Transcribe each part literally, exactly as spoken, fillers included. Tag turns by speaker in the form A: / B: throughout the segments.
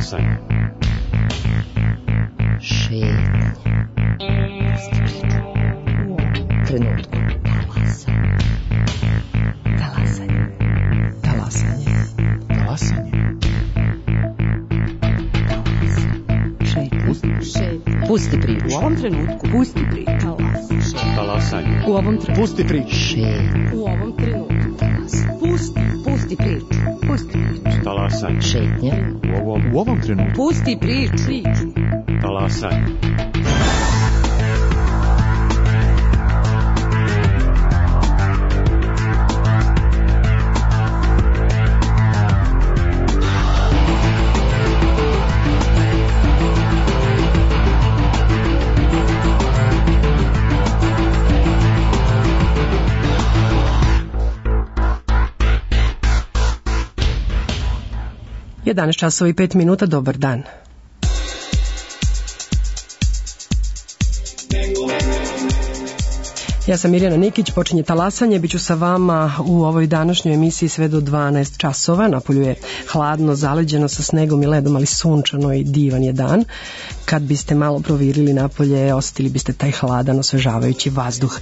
A: Talasanje.
B: Šetanje. Trenutku. Talasanje. Talasanje.
A: Talasanje.
B: Šetanje. Pusti priču.
C: U ovom trenutku.
B: Pusti priču.
A: Talasanje.
C: U ovom trenutku.
A: Pusti priču.
B: Šetanje.
C: U ovom trenutku. Pusti. Pusti priču. Pusti priču.
A: Talasanje.
B: Šetnja.
A: U ovom, u ovom trenutku.
C: Pusti priču. Priču.
A: Talasanje.
D: jedanaest časova i pet minuta, dobar dan. Ja sam Mirjana Nikić, počinje Talasanje, bit ću sa vama u ovoj današnjoj emisiji sve do dvanaest časova. Napolju je hladno, zaleđeno sa snegom i ledom, ali sunčano i divan je dan. Kad biste malo provirili napolje, osjetili biste taj hladan, osvežavajući vazduh.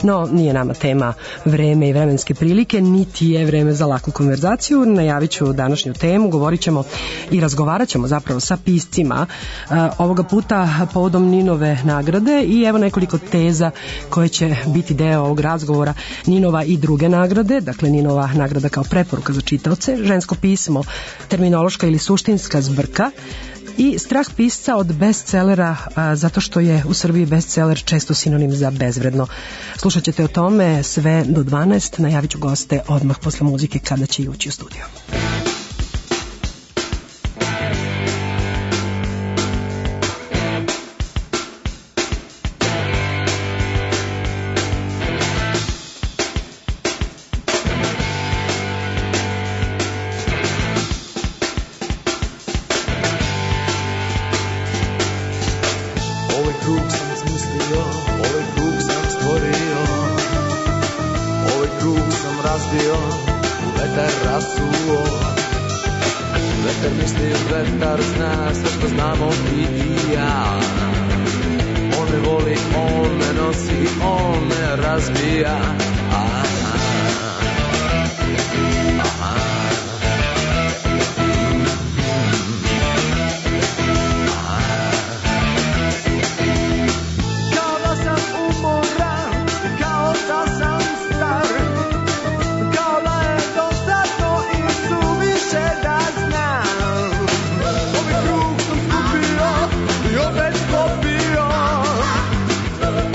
D: No, nije nama tema vreme i vremenske prilike, niti je vreme za laku konverzaciju. Najavit ću današnju temu, govorit ćemo i razgovarat ćemo zapravo sa piscima uh, ovoga puta povodom Ninove nagrade i evo nekoliko teza koje će biti deo ovog razgovora. Ninova i druge nagrade, dakle Ninova nagrada kao preporuka za čitaoce, žensko pismo, terminološka ili suštinska zbrka i strah pisca od bestsellera, a, zato što je u Srbiji bestseller često sinonim za bezvredno. Slušat ćete o tome sve do dvanaest, najavit ću goste odmah posle muzike kada će i ući u studio.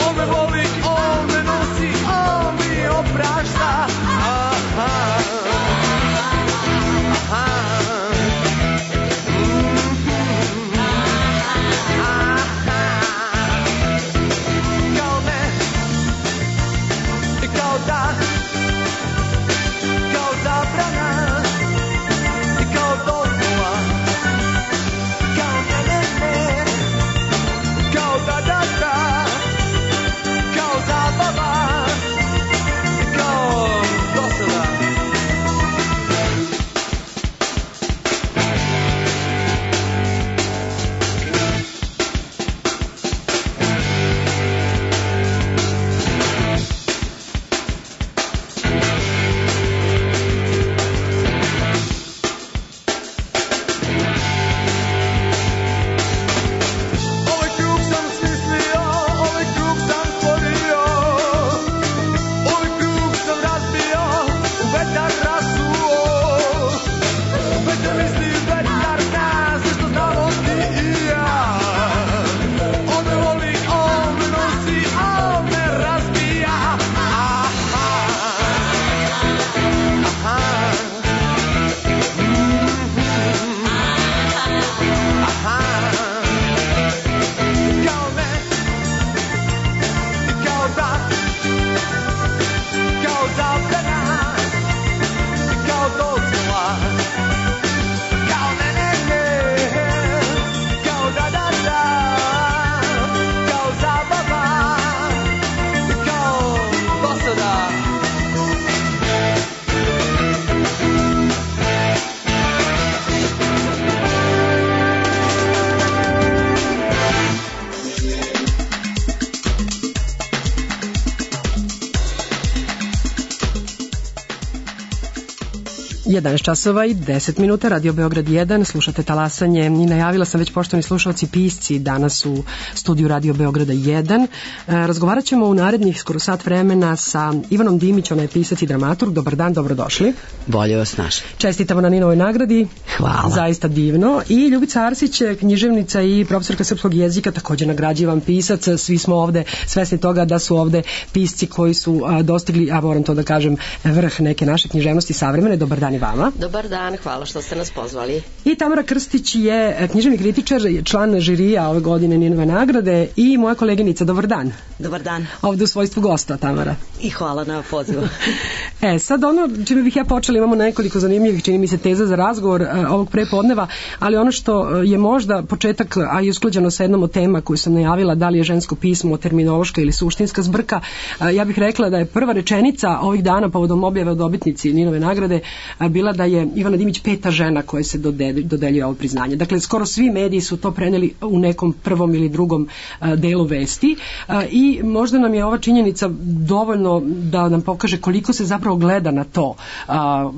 E: On me voli, on me nosi, on mi
D: jedanaest časova i deset minuta, Radio Beograd jedan, slušate Talasanje i najavila sam već, poštovani slušalci, pisci danas u studiju Radio Beograda jedan. E, razgovarat ćemo u narednih skoro sat vremena sa Ivanom Dimić, ona je pisac i dramaturg. Dobar dan, dobrodošli.
E: Bolje vas našli.
D: Čestitamo na Ninovoj nagradi.
E: Hvala.
D: Zaista divno. I Ljubica Arsić, književnica i profesorka srpskog jezika, također nagrađivan pisac. Svi smo ovde svesni toga da su ovde pisci koji su a, dostigli, a moram to da kažem, vrh neke naše književnosti savremene. Dobar dan i vama.
B: Dobar dan, hvala što ste nas pozvali.
D: I Tamara Krstić je književni kritičar, član žirija ove godine Ninove nagrade i moja koleginica. Dobar dan.
C: Dobar dan.
D: Ovde u svojstvu gosta, Tamara.
C: I hvala na pozivu.
D: E, sad ono čime bih ja počela, imamo nekoliko zanimljivih, čini mi se, teza za razgovor e, ovog prepodneva, ali ono što je možda početak, a i usklađeno sa jednom od tema koju sam najavila, da li je žensko pismo terminološka ili suštinska zbrka, e, ja bih rekla da je prva rečenica ovih dana povodom objave o dobitnici Ninove nagrade e, bila da je Ivana Dimić peta žena koja se dodelj, dodeljuje ovo priznanje. Dakle, skoro svi mediji su to preneli u nekom prvom ili drugom e, delu vesti e, i možda nam je ova činjenica dovoljno da nam pokaže koliko se zapravo gleda na to,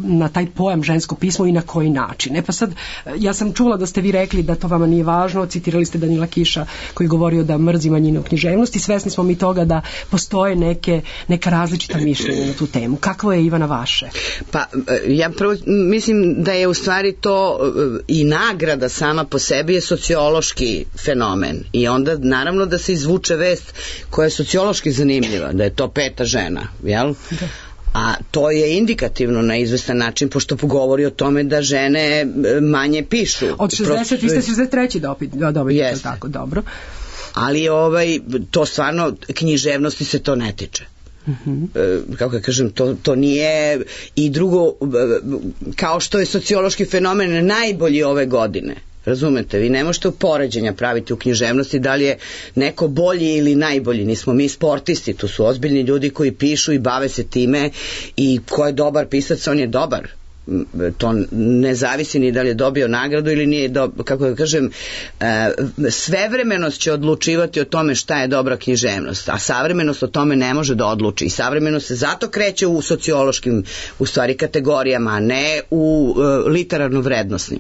D: na taj pojam žensko pismo i na koji način. E pa sad, ja sam čula da ste vi rekli da to vama nije važno, citirali ste Danila Kiša koji govorio da mrzi manjine u književnosti, svesni smo mi toga da postoje neke, neka različita mišljenja na tu temu. Kakvo je, Ivana, vaše?
E: Pa, ja prvo mislim da je u stvari to i nagrada sama po sebi je sociološki fenomen i onda naravno da se izvuče vest koja je sociološki zanimljiva, da je to peta žena, jel? Da. A to je indikativno na izvestan način, pošto govori o tome da žene manje pišu.
D: Od šezdeset, vi ste šezdeset treći dobiti, da, yes. Tako, dobro.
E: Ali ovaj, to stvarno, književnosti se to ne tiče. Uh-huh. E, kako ja kažem, to, to nije. I drugo, kao što je sociološki fenomen najbolji ove godine, razumete, vi ne možete poređenja praviti u književnosti da li je neko bolji ili najbolji, nismo mi sportisti, tu su ozbiljni ljudi koji pišu i bave se time i ko je dobar pisac, on je dobar. To ne zavisi ni da li je dobio nagradu ili nije, do, kako da kažem, svevremenost će odlučivati o tome šta je dobra književnost, a savremenost o tome ne može da odluči i savremenost se zato kreće u sociološkim, u stvari, kategorijama, a ne u literarno vrednosnim.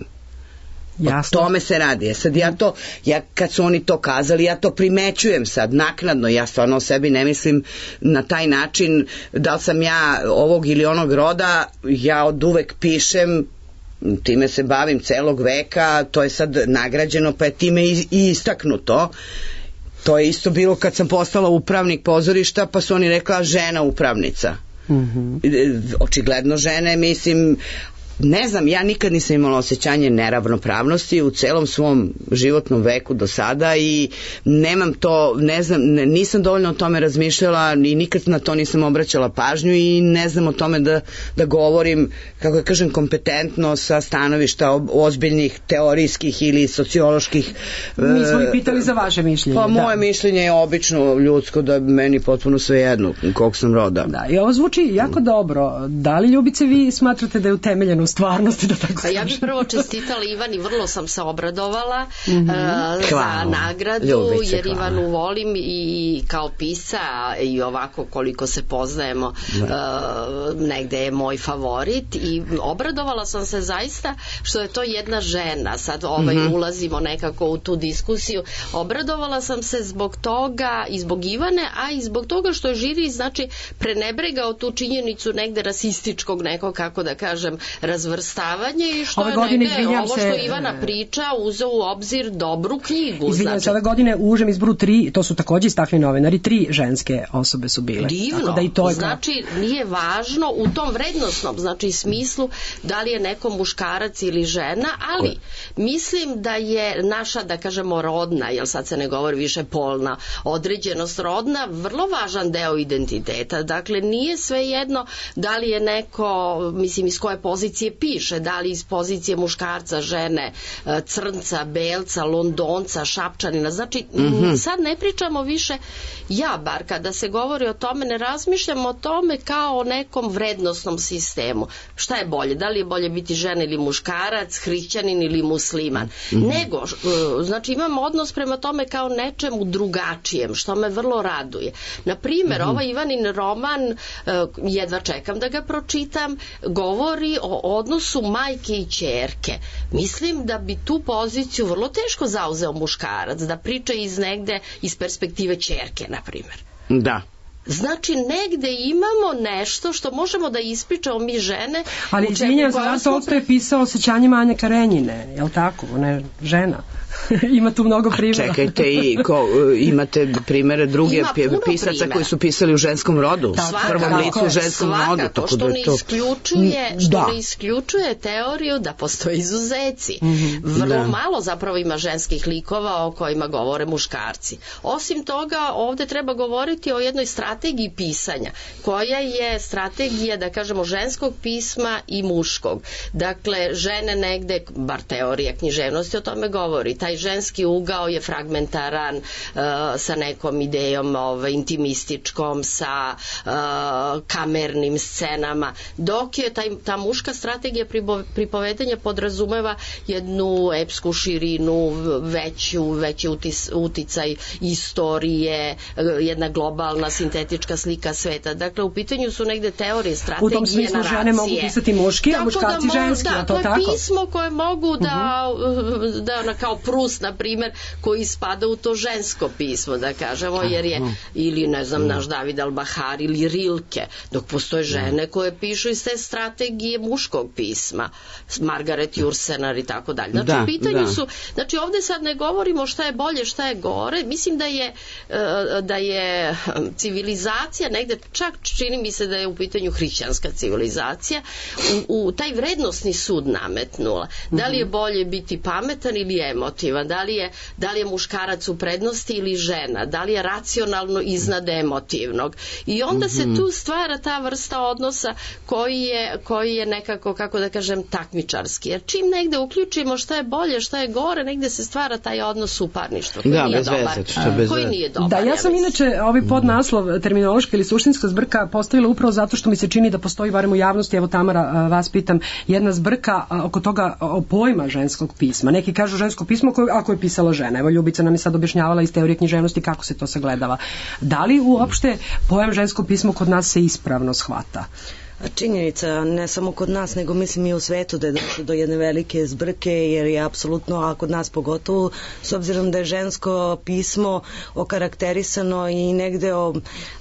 D: Jasno.
E: O tome se radi. Ja sad ja to, ja kad su oni to kazali, ja to primećujem sad naknadno, ja stvarno o sebi ne mislim na taj način da li sam ja ovog ili onog roda, ja od uvek pišem, time se bavim celog veka, to je sad nagrađeno pa je time i istaknuto. To je isto bilo kad sam postala upravnik pozorišta pa su oni rekla žena upravnica. Mm-hmm. Očigledno žene, mislim, ne znam, ja nikad nisam imala osjećanje neravnopravnosti u celom svom životnom veku do sada i nemam to, ne znam, nisam dovoljno o tome razmišljala i nikad na to nisam obraćala pažnju i ne znam o tome da, da govorim, kako ja kažem, kompetentno sa stanovišta ozbiljnih teorijskih ili socioloških.
D: Mi smo i pitali za vaše mišljenje.
E: Pa moje da. mišljenje je obično ljudsko, da meni potpuno svejedno kog sam roda.
D: Da, i ovo zvuči jako dobro. Da li, Ljubice, vi smatrate da je utemeljeno stvarnosti, da tako
B: kažem? Ja bih prvo čestitala Ivani, vrlo sam se obradovala mm-hmm. uh, za nagradu, Ljubice, jer hvala. Ivanu volim i kao pisa i ovako koliko se poznajemo uh, negde je moj favorit i obradovala sam se zaista što je to jedna žena, sad ovaj mm-hmm. ulazimo nekako u tu diskusiju, obradovala sam se zbog toga i zbog Ivane, a i zbog toga što je žiri, znači, prenebregao tu činjenicu negde rasističkog nekog, kako da kažem, razvrstavanje i što ove je godine, negde ovo što se, Ivana priča uzeo u obzir dobru knjigu.
D: Izvinjam
B: znači,
D: se, ove godine u užem izboru tri, to su takođe istakli novinari, tri ženske osobe su bile.
B: Divno, tako da i to je znači kao... nije važno u tom vrednosnom, znači smislu da li je neko muškarac ili žena, ali mislim da je naša, da kažemo, rodna, jer sad se ne govori više polna, određenost rodna, vrlo važan deo identiteta. Dakle, nije svejedno da li je neko, mislim, iz koje pozicije piše, da li iz pozicije muškarca, žene, crnca, belca, londonca, šapčanina. Znači, mm-hmm. sad ne pričamo više, ja bar kada se govori o tome, ne razmišljam o tome kao o nekom vrednosnom sistemu. Šta je bolje? Da li je bolje biti žena ili muškarac, hrišćanin ili musliman? Mm-hmm. Nego, znači, imam odnos prema tome kao nečemu drugačijem, što me vrlo raduje. Na primjer, mm-hmm. ovaj Ivanin roman, jedva čekam da ga pročitam, govori o odnosu majke i ćerke, mislim da bi tu poziciju vrlo teško zauzeo muškarac, da priča iz negde, iz perspektive ćerke, na primjer.
E: Da.
B: Znači, negde imamo nešto što možemo da ispričamo mi žene.
D: Ali izvinjam, Zoran Tolstoj je pisao Osjećanjima Anje Karenjine, je li tako? Ona je žena. Ima tu mnogo primjera.
E: Čekajte, i ko, imate primjere druge pisaca primjera koji su pisali u ženskom rodu, u prvom licu u ženskom
B: svakako,
E: rodu.
B: Tako što,
E: da
B: ne
E: to...
B: isključuje, što
E: da.
B: ne isključuje teoriju da postoje izuzeci.
D: Mm-hmm.
B: Vrlo
E: da.
B: malo zapravo ima ženskih likova o kojima govore muškarci. Osim toga, ovde treba govoriti o jednoj strategiji pisanja, koja je strategija, da kažemo, ženskog pisma i muškog. Dakle, žene negde, bar teorija književnosti o tome govori, taj ženski ugao je fragmentaran, uh, sa nekom idejom ovaj, intimističkom, sa uh, kamernim scenama, dok je taj, ta muška strategija pripovedanja podrazumeva jednu epsku širinu, veću, veći utis, uticaj istorije, jedna globalna sintetička slika sveta. Dakle, u pitanju su negde teorije, strategije,
D: naracije. U tom smislu
B: naracije.
D: Žene mogu pisati muški, a muškarci
B: da
D: ženski,
B: da,
D: a to
B: to je
D: tako?
B: pismo koje mogu da, uh-huh. da ona, kao Prus, na primjer, koji spada u to žensko pismo, da kažemo, jer je, ili ne znam, naš David Al-Bahar ili Rilke, dok postoje žene koje pišu iz te strategije muškog pisma, Margaret Jursenar i tako dalje. Znači,
E: da,
B: u pitanju
E: da.
B: su, znači ovde sad ne govorimo šta je bolje, šta je gore, mislim da je da je civilizacija negde, čak čini mi se da je u pitanju hrišćanska civilizacija, u, u taj vrednosni sud nametnula. Da li je bolje biti pametan ili emotivan, da li je, da li je muškarac u prednosti ili žena, da li je racionalno iznad emotivnog. I onda se tu stvara ta vrsta odnosa koji je, koji je nekako, kako da kažem, takmičarski. Jer čim negde uključimo šta je bolje, šta je gore, negde se stvara taj odnos suparništva koji
E: da,
B: nije
E: bez
B: dobar.
E: Veze, što bez
B: koji
E: veze.
B: nije dobar.
D: Da, ja sam
B: ja
D: inače ovaj podnaslov terminološka ili suštinska zbrka postavila upravo zato što mi se čini da postoji, barem u javnosti, evo Tamara, vas pitam, jedna zbrka oko toga, o pojma ženskog pisma. Neki kažu žensko pismo koje, ako je pisala žena. Evo Ljubica nam je sad objašnjavala iz teorije književnosti kako se to sagledava. Da li uopšte pojam žensko pismo kod nas se ispravno shvata?
F: Činjenica, ne samo kod nas, nego mislim i u svetu da je došlo do jedne velike zbrke, jer je apsolutno, a kod nas pogotovo, s obzirom da je žensko pismo okarakterisano i negde o,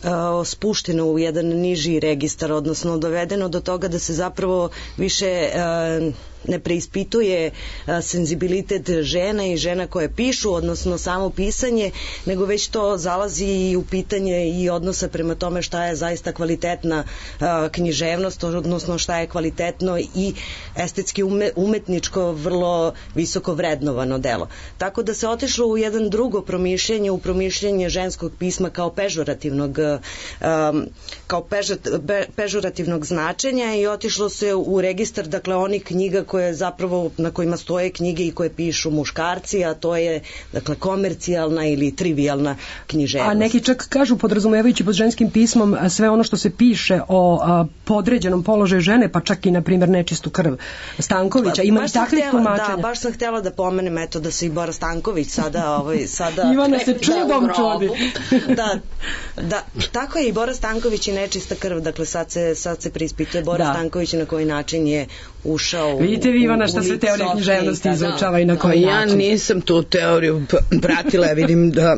F: o, spušteno u jedan niži registar, odnosno dovedeno do toga da se zapravo više a, ne preispituje a, senzibilitet žena i žena koje pišu, odnosno samo pisanje, nego već to zalazi i u pitanje i odnosa prema tome šta je zaista kvalitetna a, književnost, odnosno šta je kvalitetno i estetski ume, umetničko vrlo visoko vrednovano delo. Tako da se otišlo u jedan drugo promišljanje, u promišljanje ženskog pisma kao pežorativnog um, kao pežat, be, pežorativnog značenja i otišlo se u registar, dakle, onih knjiga koje zapravo, na kojima stoje knjige i koje pišu muškarci, a to je, dakle, komercijalna ili trivijalna književnost.
D: A neki čak kažu, podrazumevajući pod ženskim pismom, sve ono što se piše o a, podređenom položaju žene, pa čak i, na primjer, nečistu krv Stankovića. Ima i takvih tumačenja.
F: Da, baš sam htjela da pomenem, eto, da se i Bora Stanković sada... Ovaj, sada
D: Ivana se čudom čudi.
F: Da, da, tako je i Bora Stanković i nečista krv, dakle, sad se, sad se preispituje Bora da. Stanković na koji način je ušao u...
D: Vidite vi, Ivana, šta sve teorija književnosti izučava i na koji
E: ja
D: način.
E: Ja nisam tu teoriju pratila, ja vidim da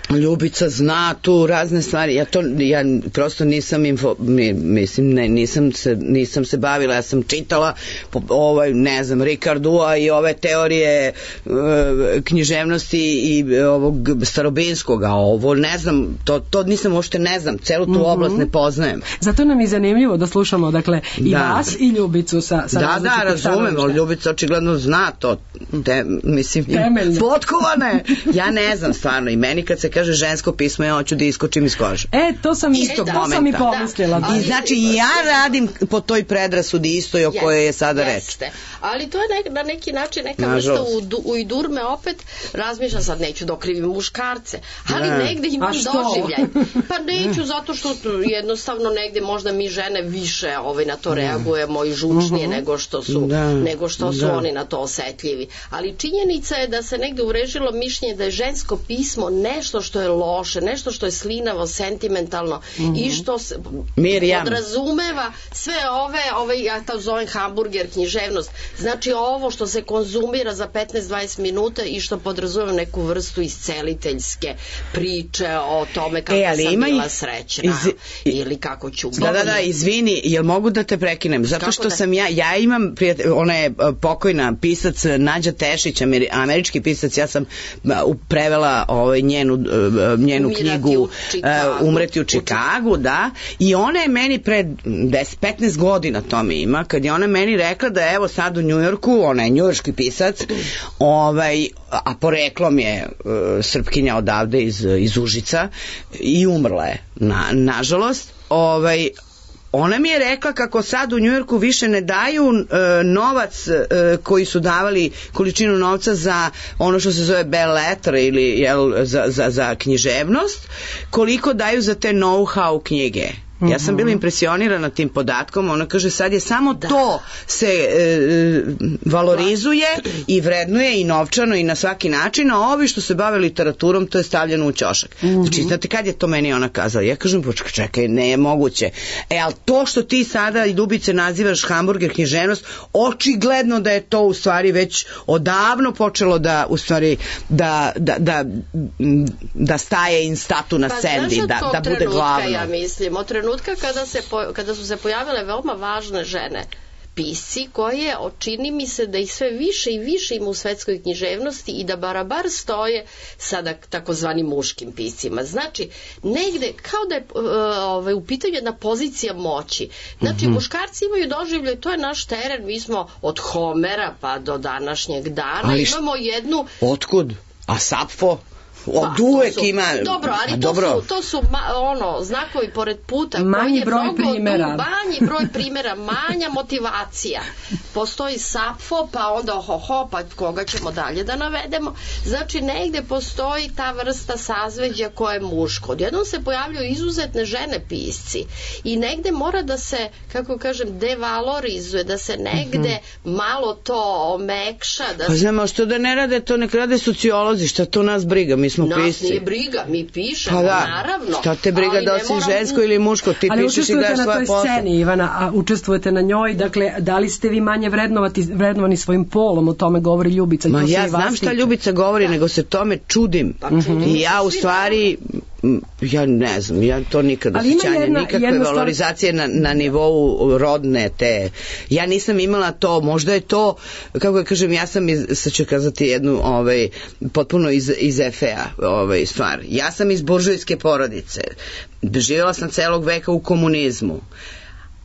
E: Ljubica zna tu razne stvari. Ja to ja prosto nisam info, mislim ne, nisam se nisam se bavila, ja sam čitala ovaj ne znam Ricardua i ove teorije e, književnosti i ovog starobinskog, a ovo ne znam, to to nisam uopšte ne znam, celu tu mm-hmm. oblast ne poznajem.
D: Zato nam je zanimljivo da slušamo, dakle, i da. vas i Ljubicu sa sa
E: Da, da, razumem, ali Ljubica očigledno zna to. Te, mislim, potkovane. Ja ne znam stvarno, i meni kad se kaže žensko pismo, ja hoću da iskočim iz kože.
D: E, to sam istog
E: e,
D: to sam i pomislila.
E: Da. I znači ja radim po toj predrasudi istoj o kojoj je sada reč.
B: Ali to je nek, na neki način neka vrsta u, u idurme opet razmišljam, sad neću da okrivim muškarce, ali ne. negde imam doživljaj. Pa neću zato što jednostavno negde možda mi žene više ovaj, na to reagujemo i žučnije uh-huh. nego što su, da. nego što su da. oni na to osetljivi. Ali činjenica je da se negde urežilo mišljenje da je žensko pismo nešto što je loše, nešto što je slinavo, sentimentalno
E: Mhm.
B: i što se
E: Mirjam.
B: podrazumeva sve ove, ove, ja to zovem hamburger književnost, znači ovo što se konzumira za petnaest do dvadeset minuta i što podrazumeva neku vrstu isceliteljske priče o tome kako
E: E, ali
B: sam
E: ima i-
B: bila srećna
E: iz-
B: ili kako ću
E: Da, da, da, izvini, jel mogu da te prekinem? Zato
B: Kako
E: što
B: da?
E: sam ja, ja imam, prijatelj, ona je uh, pokojna pisac Nađa Tešić, ameri- američki pisac, ja sam uh, prevela ovaj, njenu, uh, njenu
B: Umirati
E: knjigu
B: u Čikagu.
E: uh, Umreti u Čikagu, da, i ona je meni pre deset petnaest godina to mi ima, kad je ona meni rekla da evo sad u Njujorku, ona je njujorški pisac, ovaj, a poreklom je uh, Srpkinja odavde iz, iz Užica i umrla je, na, nažalost, ovaj, ona mi je rekla kako sad u Njujorku više ne daju e, novac e, koji su davali količinu novca za ono što se zove bell letter ili jel, za, za, za književnost, koliko daju za te know-how knjige. Ja sam bila impresionirana tim podatkom, ona kaže sad je samo da. to se e, valorizuje i vrednuje i novčano i na svaki način, a ovi što se bave literaturom to je stavljeno u ćošak. Mm-hmm. Znači, znate kad je to meni ona kazala? Ja kažem, počekaj, čekaj, ne je moguće. E, ali to što ti sada i Dubice nazivaš hamburger književnost, očigledno da je to u stvari već odavno počelo da u stvari da, da, da, da staje in statu na
B: pa,
E: sendi,
B: znaš,
E: da, da bude
B: trenutka,
E: glavno.
B: Ja mislim, od trenutka kada, se po, kada su se pojavile veoma važne žene pisci koje čini mi se da ih sve više i više ima u svetskoj književnosti i da barabar stoje sa takozvanim muškim piscima. Znači, negde kao da je ovaj, u pitanju jedna pozicija moći. Znači, mm-hmm. muškarci imaju doživljaj, to je naš teren, mi smo od Homera pa do današnjeg dana, ali imamo jednu...
E: Otkud? A Sapfo? Od uvek
B: su,
E: ima...
B: Dobro, ali to
E: dobro.
B: su, to su ma, ono, znakovi pored puta.
D: Manji broj
B: mnogo,
D: primjera.
B: Manji broj primjera, manja motivacija. Postoji Sapfo, pa onda ho, ho, pa koga ćemo dalje da navedemo. Znači, negde postoji ta vrsta sazveđa koja je muško. Odjednom se pojavljaju izuzetne žene pisci i negde mora da se, kako kažem, devalorizuje, da se negde mm-hmm. malo to omekša. Da
E: pa znamo, što da ne rade, to nek rade sociolozi, šta to nas briga, mi smo
B: nas
E: pisci.
B: nije briga, mi pišemo,
E: pa da,
B: naravno.
E: Šta te briga da si moram... žensko ili muško, ti
D: ali
E: pišeš i daš svoje posao.
D: Ali učestvujete na toj sceni, Ivana, a učestvujete na njoj, dakle, da li ste vi manje vrednovati, vrednovani svojim polom, o tome govori Ljubica.
E: Ma ja znam šta Ljubica govori, da. nego se tome čudim. Pa, čudim. I ja u stvari... ja ne znam, ja to nikad osjećanje, nikakve valorizacije na, na nivou rodne te, ja nisam imala to, možda je to, kako ja kažem, ja sam iz, sad ću kazati jednu ovaj, potpuno iz, iz F A ovaj, stvar, ja sam iz buržujske porodice, živjela sam celog veka u komunizmu.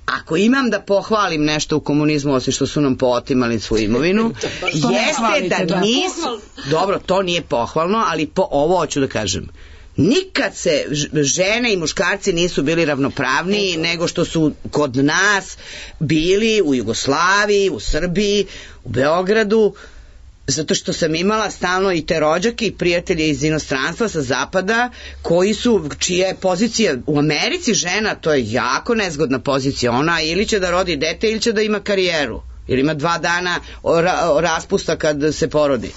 E: Ako imam da pohvalim nešto u komunizmu, osim što su nam pootimali svu imovinu, jeste da, da nisu, dobro, to nije pohvalno, ali po, ovo hoću da kažem, nikad se žene i muškarci nisu bili ravnopravniji nego što su kod nas bili u Jugoslaviji, u Srbiji, u Beogradu, zato što sam imala stalno i te rođake i prijatelje iz inostranstva sa zapada koji su, čija je pozicija u Americi žena, to je jako nezgodna pozicija, ona ili će da rodi dete ili će da ima karijeru, ili ima dva dana raspusta kad se porodi.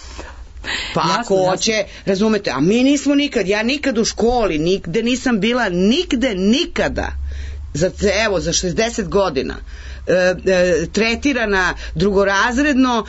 E: Pa jasno, ako hoće, jasno. Razumete, a mi nismo nikad, ja nikad u školi, nigde nisam bila, nigde, nikada, za, evo, za šezdeset godina, e, e, tretirana drugorazredno,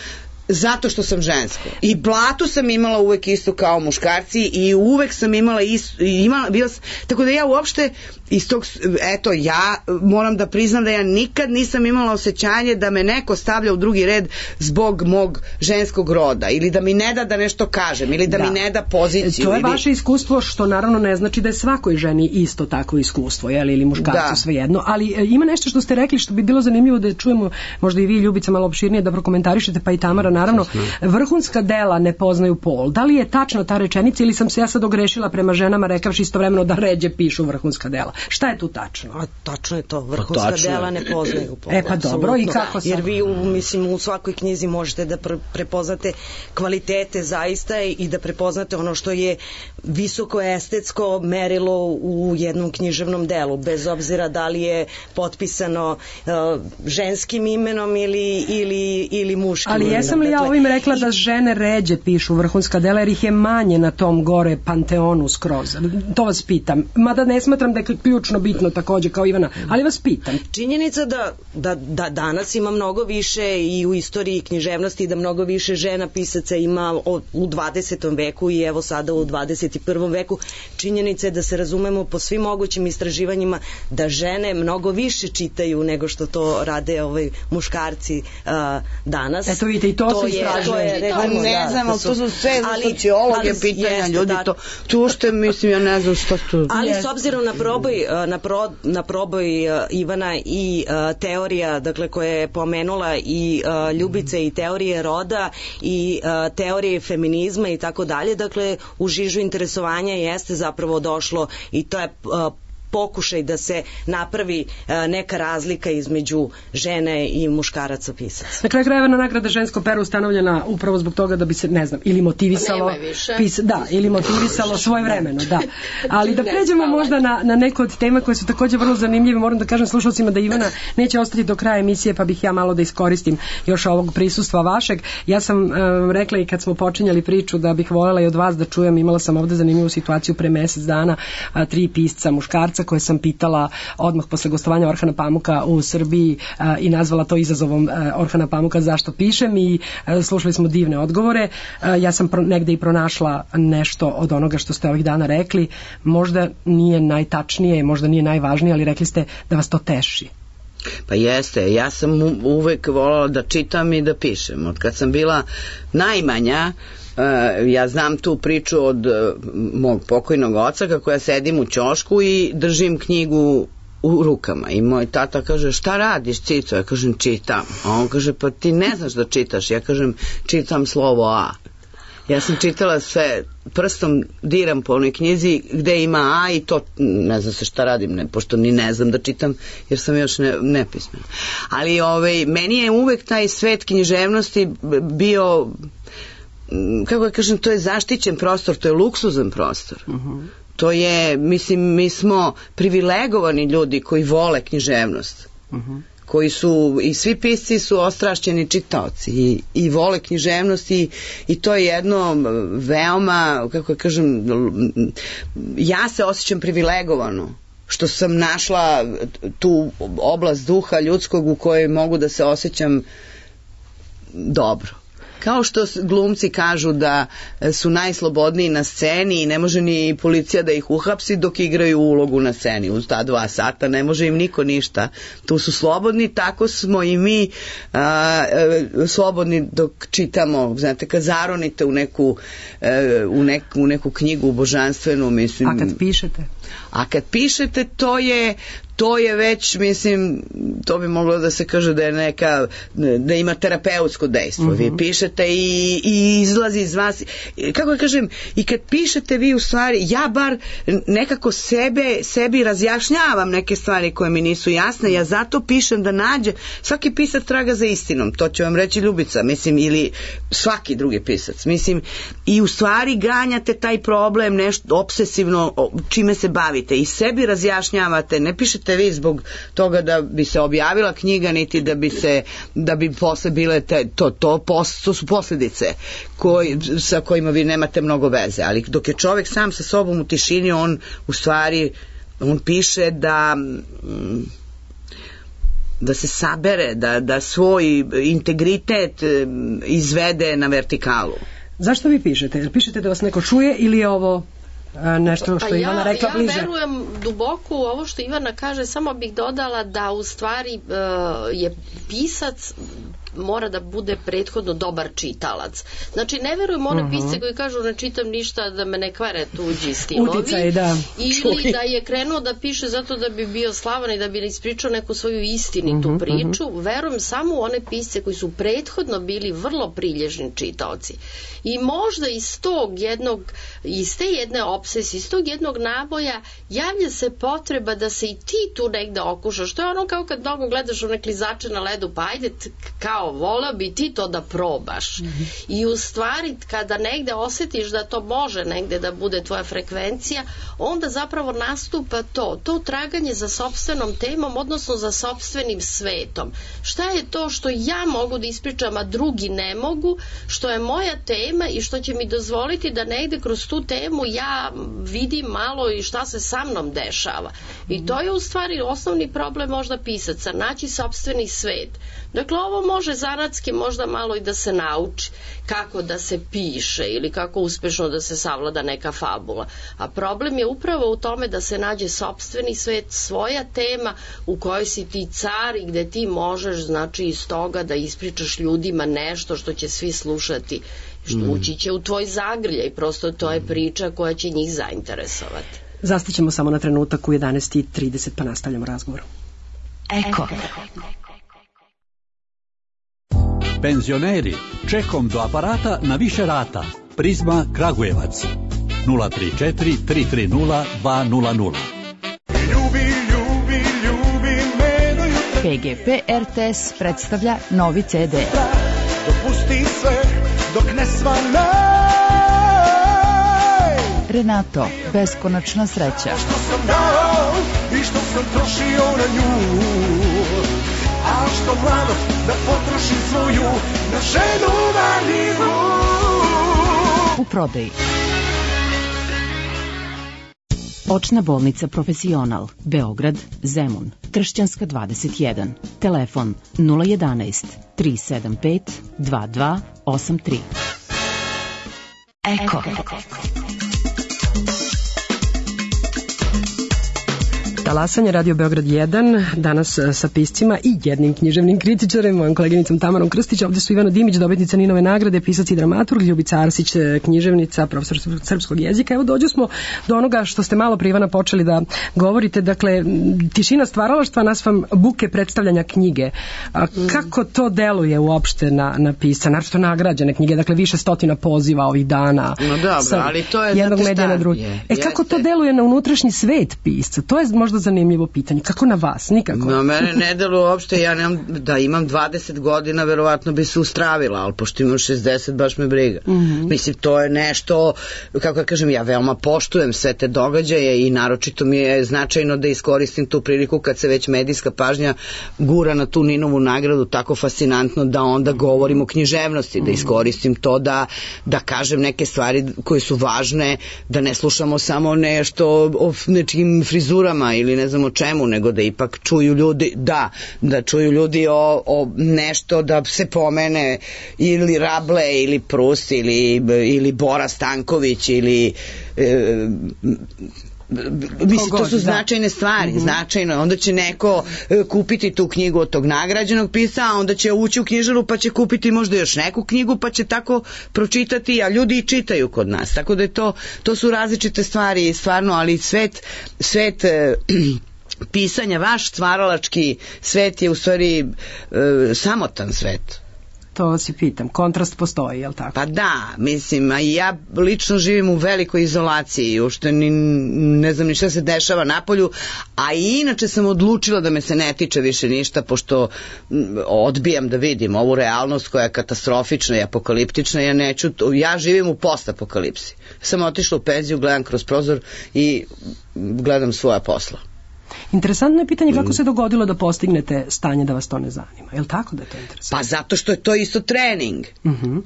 E: zato što sam žensko. I platu sam imala uvek isto kao muškarci i uvek sam imala isto, imala, bila, tako da ja uopšte iz tog, eto, ja moram da priznam da ja nikad nisam imala osjećanje da me neko stavlja u drugi red zbog mog ženskog roda ili da mi ne da da nešto kažem ili da, da. mi ne da poziciju.
D: To je
E: ili...
D: vaše iskustvo, što naravno ne znači da je svakoj ženi isto takvo iskustvo, jeli, ili muškarcu, da. Svejedno, ali e, ima nešto što ste rekli što bi bilo zanimljivo da čujemo, možda i vi, Ljubica, malo opširnije da prokomentarišete, pa i Tamara, naravno. Vrhunska dela ne poznaju pol. Da li je tačna ta rečenica ili sam se ja sad ogrešila prema ženama rekavši istovremeno da ređe pišu vrhunska dela? Šta je tu tačno?
F: A, tačno je to, vrhunska
E: tačno.
F: dela ne poznaju pol.
D: E pa dobro, i kako sad?
F: Jer vi, u, mislim, u svakoj knjizi možete da pre- prepoznate kvalitete zaista i da prepoznate ono što je visoko estetsko merilo u jednom književnom delu, bez obzira da li je potpisano uh, ženskim imenom ili, ili, ili muškim
D: ali
F: imenom.
D: jesam li li ja ovim rekla da žene ređe pišu vrhunska dela jer ih je manje na tom gore panteonu skroz? To vas pitam. Mada ne smatram da je ključno bitno takođe kao Ivana, ali vas pitam.
F: Činjenica da, da, da danas ima mnogo više i u istoriji književnosti, da mnogo više žena pisaca ima u dvadesetom veku i evo sada u dvadeset prvom veku. Činjenica je da se razumemo po svim mogućim istraživanjima da žene mnogo više čitaju nego što to rade ovaj muškarci uh, danas.
D: Eto vidite, i to, to se istražuje.
E: Pa ne znam, ali to su sve sociologe pitanja, ljudi, to, tu ušte, mislim, ja ne znam što tu...
F: Ali s obzirom na proboj, na, pro, na proboj Ivana i uh, teorija, dakle, koja je pomenula i uh, Ljubice i teorije roda i uh, teorije feminizma i tako dalje, dakle, u žižu interesovanja jeste zapravo došlo i to je uh, pokušaj da se napravi uh, neka razlika između žene i muškaraca pisaca.
D: Na kraju krajeva na nagrada žensko pero ustanovljena upravo zbog toga da bi se, ne znam, ili motivisalo pis, da, ili motivisalo svoje vremeno, da. Ali da pređemo možda na, na neko od tema koje su takođe vrlo zanimljive. Moram da kažem slušalcima da Ivana neće ostati do kraja emisije, pa bih ja malo da iskoristim još ovog prisustva vašeg. Ja sam um, rekla i kad smo počinjali priču da bih voljela i od vas da čujem, imala sam ovde zanimljivu situaciju pre mesec dana, a, tri pisca muškarca koje sam pitala odmah posle gostovanja Orhana Pamuka u Srbiji a, i nazvala to izazovom a, Orhana Pamuka zašto pišem i a, slušali smo divne odgovore. A, ja sam pro, negde i pronašla nešto od onoga što ste ovih dana rekli. Možda nije najtačnije, možda nije najvažnije, ali rekli ste da vas to teši.
E: Pa jeste, ja sam uvek voljela da čitam i da pišem. Od kad sam bila najmanja, Uh, ja znam tu priču od uh, mog pokojnog oca kako ja sedim u ćošku i držim knjigu u rukama i moj tata kaže šta radiš Cico? Ja kažem čitam, a on kaže pa ti ne znaš da čitaš. Ja kažem čitam slovo A. Ja sam čitala sve, prstom diram po onoj knjizi gde ima A i to ne znam se šta radim, ne, pošto ni ne znam da čitam jer sam još ne, nepismena. Ali ovaj, meni je uvek taj svet književnosti bio, kako ja kažem, to je zaštićen prostor, to je luksuzan prostor. Uh-huh. To je, mislim, mi smo privilegovani ljudi koji vole književnost. Uh-huh. Koji su, i svi pisci su ostrašćeni čitaoci i, i vole književnost i, i to je jedno veoma, kako ja kažem, ja se osjećam privilegovano što sam našla tu oblast duha ljudskog u kojoj mogu da se osjećam dobro. Kao što glumci kažu da su najslobodniji na sceni i ne može ni policija da ih uhapsi dok igraju ulogu na sceni. Uz ta dva sata ne može im niko ništa. Tu su slobodni, tako smo i mi a, a, slobodni dok čitamo. Znate, kad zaronite u neku, a, u neku, u neku knjigu božanstvenu, mislim...
D: A kad pišete?
E: A kad pišete, to je... To je već, mislim, to bi moglo da se kaže da je neka, da ima terapeutsko dejstvo. Uh-huh. Vi pišete i, i izlazi iz vas, kako ja kažem, i kad pišete vi u stvari, ja bar nekako sebe, sebi razjašnjavam neke stvari koje mi nisu jasne, ja zato pišem da nađe, svaki pisac traga za istinom, to će vam reći Ljubica, mislim, ili svaki drugi pisac, mislim, i u stvari ganjate taj problem, nešto obsesivno, čime se bavite i sebi razjašnjavate, ne pišete vi zbog toga da bi se objavila knjiga niti da bi se da bi posle bile te, to, to, pos, to su posljedice koji, sa kojima vi nemate mnogo veze, ali dok je čovjek sam sa sobom u tišini, on u stvari on piše da da se sabere, da, da svoj integritet izvede na vertikalu.
D: Zašto vi pišete? Pišete da vas neko čuje ili je ovo nešto što
B: pa
D: je Ivana
B: ja,
D: rekla
B: ja
D: bliže?
B: Ja verujem duboko u ovo što Ivana kaže, samo bih dodala da u stvari uh, je pisac mora da bude prethodno dobar čitalac. Znači, ne verujem one uh-huh. pisce koji kažu ne čitam ništa da me ne kvare tuđi stinovi.
D: Uticaj, da.
B: Ili Čuj. da je krenuo da piše zato da bi bio slavan i da bi ispričao neku svoju istinitu uh-huh, priču. Uh-huh. Verujem samo u one pisce koji su prethodno bili vrlo prilježni čitaoci. I možda iz tog jednog, iz te jedne obsesije, iz tog jednog naboja javlja se potreba da se i ti tu negde okušaš. To je ono kao kad mnogo gledaš one klizače na ledu, pa ajde kao kao voleo bi ti to da probaš. Mm-hmm. I u stvari kada negde osjetiš da to može negde da bude tvoja frekvencija, onda zapravo nastupa to, to traganje za sopstvenom temom, odnosno za sopstvenim svetom. Šta je to što ja mogu da ispričam, a drugi ne mogu, što je moja tema i što će mi dozvoliti da negde kroz tu temu ja vidim malo i šta se sa mnom dešava. I to je u stvari osnovni problem možda pisaca, naći sopstveni svet. Dakle, ovo može zanatski možda malo i da se nauči kako da se piše ili kako uspešno da se savlada neka fabula. A problem je upravo u tome da se nađe sopstveni svet, svoja tema u kojoj si ti car i gde ti možeš, znači, iz toga da ispričaš ljudima nešto što će svi slušati, što mm. ući će u tvoj zagrljaj, prosto to je priča koja će njih zainteresovati.
D: Zastićemo samo na trenutak u jedanaest i trideset pa nastavljamo razgovor.
C: Eko.
G: Penzioneri, čekom do aparata na više rata. Prizma Kragujevac nula tri četiri tri tri nula dva nula nula.
H: Ljubi, ljubi, ljubi me do jutra.
C: P G P R T S predstavlja novi C D.
H: Dopusti sve dok ne svanaj.
C: Renato, beskonačna sreća.
H: Što sam dao i što sam trošio na nju. A što mladost da potrošim svoju na ženu valjivu.
C: U prodaji. Očna bolnica Profesional, Beograd, Zemun, Tršćanska dvadeset jedan. Telefon nula jedanaest tri sedam pet dva dva osam tri. Eko.
D: Talasanje, Radio Beograd jedan, danas sa piscima i jednim književnim kritičarem, mojom koleginicom Tamarom Krstić. Ovdje su Ivana Dimić, dobitnica Ninove nagrade, pisac i dramaturg, Ljubica Arsić, književnica, profesor srpskog jezika. Evo dođu smo do onoga što ste malo pre, Ivana, počeli da govorite, dakle, tišina stvaralaštva nas vam buke predstavljanja knjige. A kako to deluje uopšte na, na pisca, naravno nagrađene knjige, dakle više stotina poziva ovih dana.
E: No dobro, ali to je
D: jednog medija na drugi. E jeste. Kako to deluje na unutrašnji svet pisca? To je možda zanimljivo pitanje. Kako na vas? Nikako.
E: Na mene ne deluje uopšte, ja nemam, da imam dvadeset godina, verovatno bi se ustravila, ali pošto imam šezdeset, baš me briga. Mm-hmm. Mislim, to je nešto, kako ja kažem, ja veoma poštujem sve te događaje i naročito mi je značajno da iskoristim tu priliku kad se već medijska pažnja gura na tu Ninovu nagradu tako fascinantno da onda govorim o književnosti, da iskoristim to da, da kažem neke stvari koje su važne, da ne slušamo samo nešto o nečim frizurama ili ne znam o čemu, nego da ipak čuju ljudi, da, da čuju ljudi o, o nešto, da se pomene ili Rable ili Prust ili, ili Bora Stanković ili e, mislim, to su značajne stvari, mm-hmm. značajno. Onda će neko e, kupiti tu knjigu od tog nagrađenog pisca, a onda će ući u knjižaru pa će kupiti možda još neku knjigu pa će tako pročitati, a ljudi i čitaju kod nas. Tako da je to, to su različite stvari, stvarno, ali svet, svet e, pisanja, vaš stvaralački svet je u stvari e, samotan svet.
D: To vas i pitam. Kontrast postoji, je li tako?
E: Pa da, mislim, a ja lično živim u velikoj izolaciji, uopšte ni, ne znam ni šta se dešava napolju, a i inače sam odlučila da me se ne tiče više ništa, pošto odbijam da vidim ovu realnost koja je katastrofična i apokaliptična, ja neću, ja živim u postapokalipsi. Sam otišla u penziju, gledam kroz prozor i gledam svoja posla.
D: Interesantno je pitanje kako se dogodilo da postignete stanje da vas to ne zanima. Je li tako da je to interesantno?
E: Pa zato što je to isto trening.
D: Uh-huh.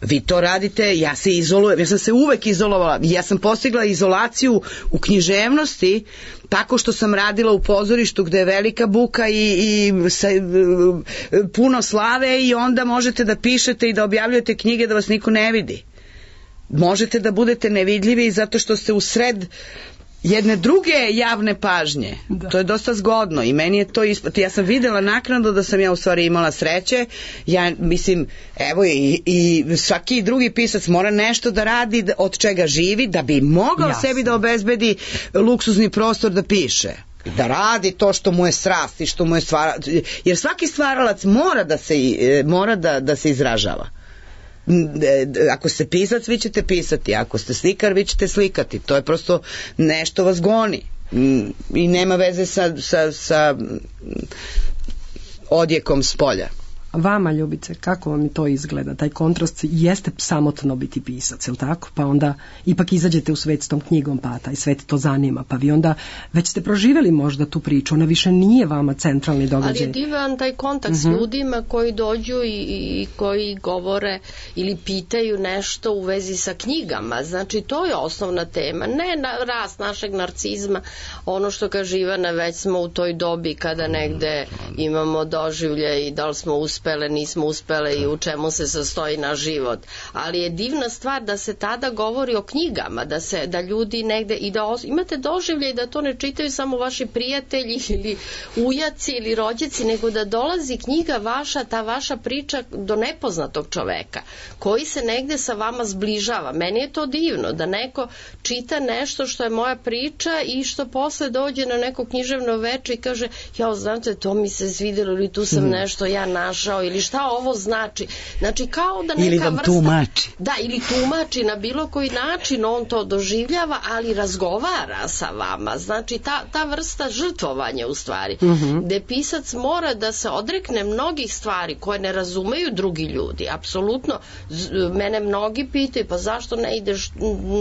E: Vi to radite, ja se izolujem, ja sam se uvek izolovala, ja sam postigla izolaciju u književnosti tako što sam radila u pozorištu gde je velika buka i, i sa, puno slave i onda možete da pišete i da objavljujete knjige da vas niko ne vidi. Možete da budete nevidljivi zato što ste u sred jedne druge javne pažnje. Da. To je dosta zgodno i meni je to ispod. Ja sam videla naknadno da sam ja u stvari imala sreće. Ja mislim, evo i, i svaki drugi pisac mora nešto da radi od čega živi da bi mogao Jasne. sebi da obezbedi luksuzni prostor da piše. Da radi to što mu je strast i što mu je stvara... Jer svaki stvaralac mora da se, mora da, da se izražava. Ako ste pisac, vi ćete pisati, ako ste slikar, vi ćete slikati, to je prosto nešto vas goni i nema veze sa, sa, sa odjekom s polja.
D: Vama, Ljubice, kako vam to izgleda? Taj kontrast jeste samotno biti pisac, je li tako? Pa onda ipak izađete u svet s tom knjigom, pa taj svet to zanima, pa vi onda već ste proživjeli možda tu priču, ona više nije vama centralni događaj.
B: Ali je divan taj kontakt s ljudima koji dođu i, i koji govore ili pitaju nešto u vezi sa knjigama. Znači, to je osnovna tema. Ne na rast našeg narcizma, ono što kaže Ivana, već smo u toj dobi kada negde imamo doživlje i da li smo uspele, nismo uspele i u čemu se sastoji naš život. Ali je divna stvar da se tada govori o knjigama, da se da ljudi negde i da os... imate doživlje i da to ne čitaju samo vaši prijatelji ili ujaci ili rođaci, nego da dolazi knjiga vaša, ta vaša priča do nepoznatog čoveka koji se negde sa vama zbližava. Meni je to divno da neko čita nešto što je moja priča i što posle dođe na neko književno veče i kaže, ja znate, to mi se svidjelo ili tu sam nešto ja našao ili šta ovo znači. Znači kao da neka
E: ili vam
B: vrsta,
E: tumači.
B: Da, ili tumači na bilo koji način, on to doživljava, ali razgovara sa vama. Znači ta, ta vrsta žrtvovanja u stvari, uh-huh. gde pisac mora da se odrekne mnogih stvari koje ne razumeju drugi ljudi. Apsolutno, mene mnogi pitaju, pa zašto ne ideš,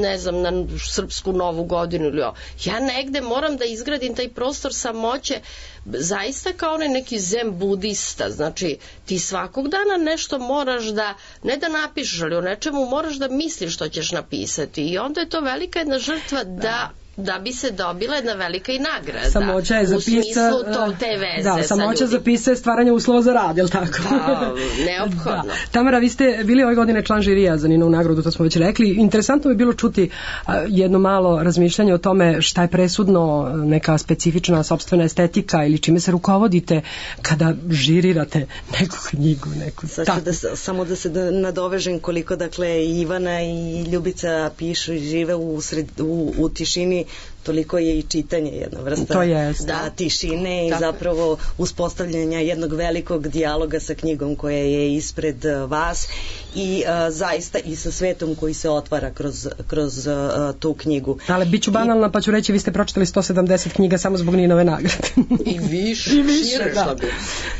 B: ne znam, na srpsku novu godinu ili ovo. Ja negde moram da izgradim taj prostor samoće, zaista kao onaj neki zen budista. Znači, ti svakog dana nešto moraš da, ne da napišeš, ali o nečemu moraš da misliš što ćeš napisati. I onda je to velika jedna žrtva da da bi se dobila jedna velika i nagrada.
D: Samoća je za
B: u smislu to, te veze
D: da, samoća za pisa je stvaranje uslova za rad, je li tako?
B: Da, neophodno. Da.
D: Tamara, vi ste bili ove godine član žirija za Ninovu nagradu, to smo već rekli. Interesantno bi bilo čuti a, jedno malo razmišljanje o tome šta je presudno, neka specifična sopstvena estetika ili čime se rukovodite kada žirirate neku knjigu, neku
F: tako. Da, samo da se nadovežem koliko, dakle, Ivana i Ljubica pišu i žive u, sred, u, u tišini, toliko je i čitanje jedna vrsta
D: to je,
F: da, tišine i zapravo uspostavljanja jednog velikog dijaloga sa knjigom koja je ispred vas i uh, zaista i sa svetom koji se otvara kroz, kroz uh, tu knjigu.
D: Ali bit ću banalna I, pa ću reći vi ste pročitali sto sedamdeset knjiga samo zbog Ninove nagrade.
B: I više.
D: I više, da.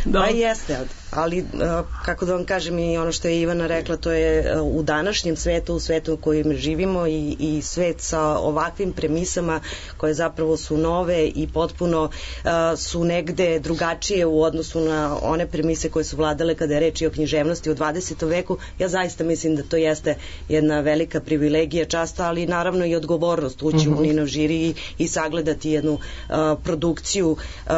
F: Da. Pa jeste, ali uh, kako da vam kažem i ono što je Ivana rekla, to je uh, u današnjem svetu, u svetu u kojem živimo i, i svet sa ovakvim premisama koje zapravo su nove i potpuno uh, su negde drugačije u odnosu na one premise koje su vladale kada je reč i o književnosti u dvadesetom veku. Ja zaista mislim da to jeste jedna velika privilegija, čast, ali naravno i odgovornost ući uh-huh. u Ninov žiri i, i sagledati jednu uh, produkciju uh,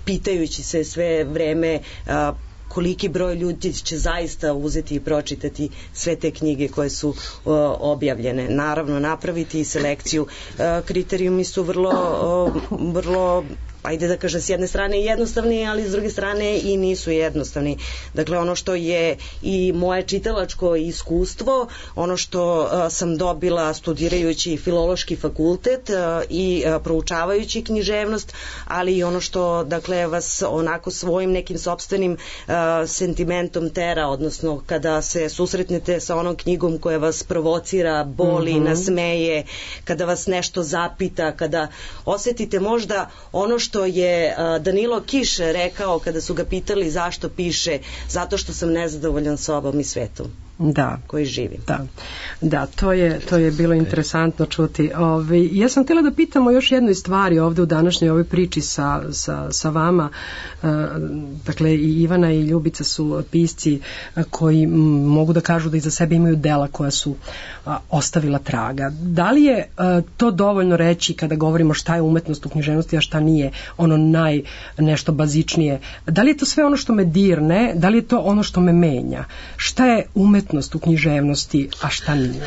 F: pitajući se sve vreme uh, koliki broj ljudi će zaista uzeti i pročitati sve te knjige koje su uh, objavljene. Naravno, napraviti selekciju. Uh, kriterijumi su vrlo, uh, vrlo ajde da kažem s jedne strane jednostavni, ali s druge strane i nisu jednostavni. Dakle, ono što je i moje čitalačko iskustvo, ono što uh, sam dobila studirajući filološki fakultet uh, i uh, proučavajući književnost, ali i ono što, dakle, vas onako svojim nekim sopstvenim uh, sentimentom tera, odnosno kada se susretnete sa onom knjigom koja vas provocira, boli, mm-hmm. nasmeje, kada vas nešto zapita, kada osetite možda ono što je Danilo Kiš rekao kada su ga pitali zašto piše, zato što sam nezadovoljan sobom i svetom.
D: Da,
F: koji živi.
D: Da, da to, je, to je bilo interesantno čuti. Ove, ja sam htjela da pitamo još jednoj stvari ovde u današnjoj ovoj priči sa, sa, sa vama. E, dakle, i Ivana i Ljubica su pisci koji m, mogu da kažu da iza sebe imaju dela koja su a, ostavila traga. Da li je a, to dovoljno reći kada govorimo šta je umetnost u književnosti, a šta nije ono naj nešto bazičnije? Da li je to sve ono što me dirne? Da li je to ono što me menja? Šta je umetnost u književnosti, a šta nije?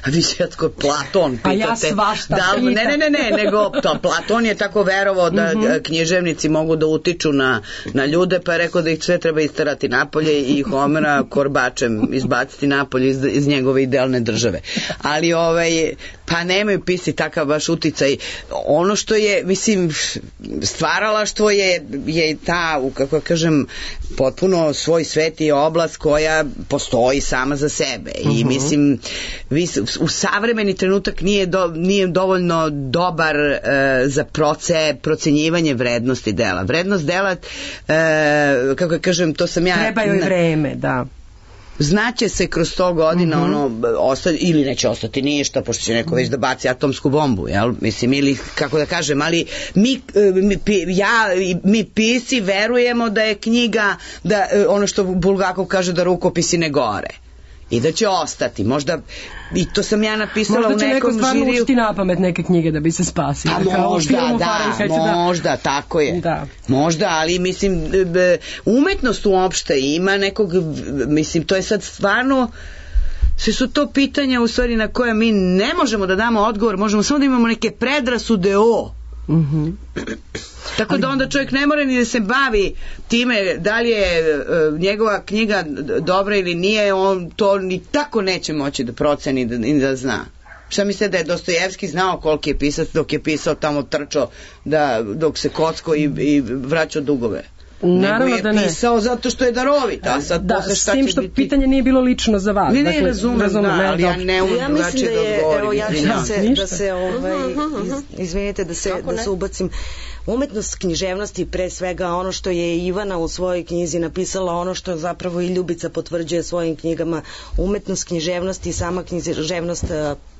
E: A vi svjetko Platon pitate.
D: Pa ja svašta
E: da,
D: pitam.
E: Ne, ne, ne, ne, nego to, Platon je tako verovao da mm-hmm. književnici mogu da utiču na, na ljude, pa je rekao da ih sve treba isterati napolje i Homera korbačem izbaciti napolje iz, iz njegove idealne države. Ali ovaj, Pa nemaju pisci takav baš uticaj. Ono što je, mislim, stvaralaštvo je, je ta, kako kažem, potpuno svoj svet i oblast koja postoji sama za sebe. I uh-huh. mislim, vi, u savremeni trenutak nije, do, nije dovoljno dobar uh, za proce, procenjivanje vrednosti dela. Vrednost dela, uh, kako kažem, to sam ja...
D: Trebaju i vreme, da.
E: Znaće se kroz sto godina uh-huh. ono ostati, ili neće ostati ništa pošto će neko već da baci atomsku bombu, jel? Mislim, ili kako da kažem, ali mi, mi ja mi pisci verujemo da je knjiga, da ono što Bulgakov kaže, da rukopisi ne gore i da će ostati, možda i to sam ja napisala u nekom žiriju.
D: Možda će neko stvarno učiti na pamet neke knjige da bi se spasio.
E: Pa možda, da, možda, tako je. Da. Možda, ali mislim, umetnost uopšte ima nekog, mislim, to je sad stvarno, sve su to pitanja u stvari na koje mi ne možemo da damo odgovor, možemo samo da imamo neke predrasude o. Mhm. Tako da onda čovjek ne mora ni da se bavi time da li je uh, njegova knjiga dobra ili nije, on to ni tako neće moći da proceni da, i da zna. Šta mislite da je Dostojevski znao koliki je pisac dok je pisao tamo trčao da, dok se kocko i, i vraćao dugove?
D: Naravno
E: nego je pisao zato što je darovit, a sad
D: da,
E: posle šta
D: s tim što
E: biti...
D: pitanje nije bilo lično za vas.
E: Ne, ne, dakle, razumem, razumem, da, ali ja ne umem
F: ja
E: drugačije da,
F: da
E: odgovorim.
F: Evo, ja ću da se, da se ovaj, iz, izvinite, da se, da se ubacim. Umetnost književnosti, pre svega ono što je Ivana u svojoj knjizi napisala, ono što zapravo i Ljubica potvrđuje svojim knjigama, umetnost književnosti i sama književnost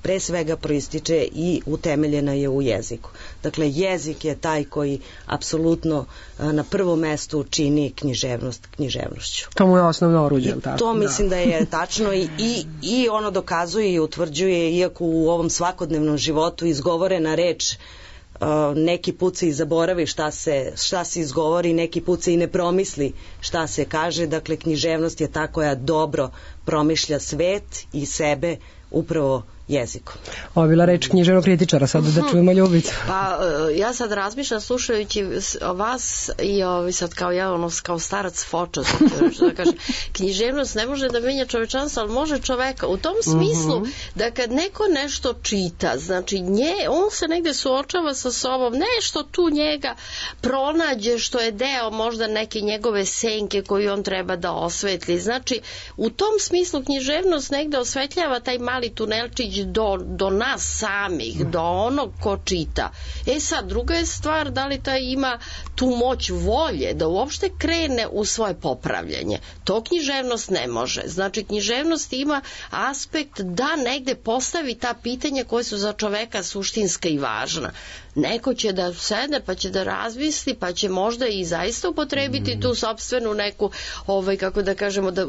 F: pre svega proističe i utemeljena je u jeziku. Dakle, jezik je taj koji apsolutno na prvom mestu čini književnost književnošću.
D: To mu je osnovno oruđe, tako?
F: To mislim da, da je tačno i, i, i ono dokazuje i utvrđuje, iako u ovom svakodnevnom životu izgovorena reč Uh, neki put se i zaboravi šta se, šta se izgovori, neki put se i ne promisli šta se kaže, dakle književnost je ta koja dobro promišlja svet i sebe upravo jezikom.
D: Ovo je bila reč književnog kritičara, sad da čujemo Ljubicu.
B: Pa ja sad razmišljam slušajući vas i ovi sad kao ja, ono, kao starac foča, da kažem, književnost ne može da menja čovečanstvo, ali može čoveka. U tom smislu uh-huh. da kad neko nešto čita, znači nje, on se negde suočava sa sobom, nešto tu njega pronađe što je deo možda neke njegove senke koju on treba da osvetli. Znači, u tom smislu književnost negde osvetljava taj mali tunelčić Do, do nas samih, do onog ko čita. E sad, druga je stvar da li taj ima tu moć volje da uopšte krene u svoje popravljanje. To književnost ne može. Znači, književnost ima aspekt da negde postavi ta pitanja koje su za čoveka suštinska i važna. Neko će da sedne pa će da razmisli pa će možda i zaista upotrebiti mm. tu sopstvenu neku ovaj, kako da kažemo da,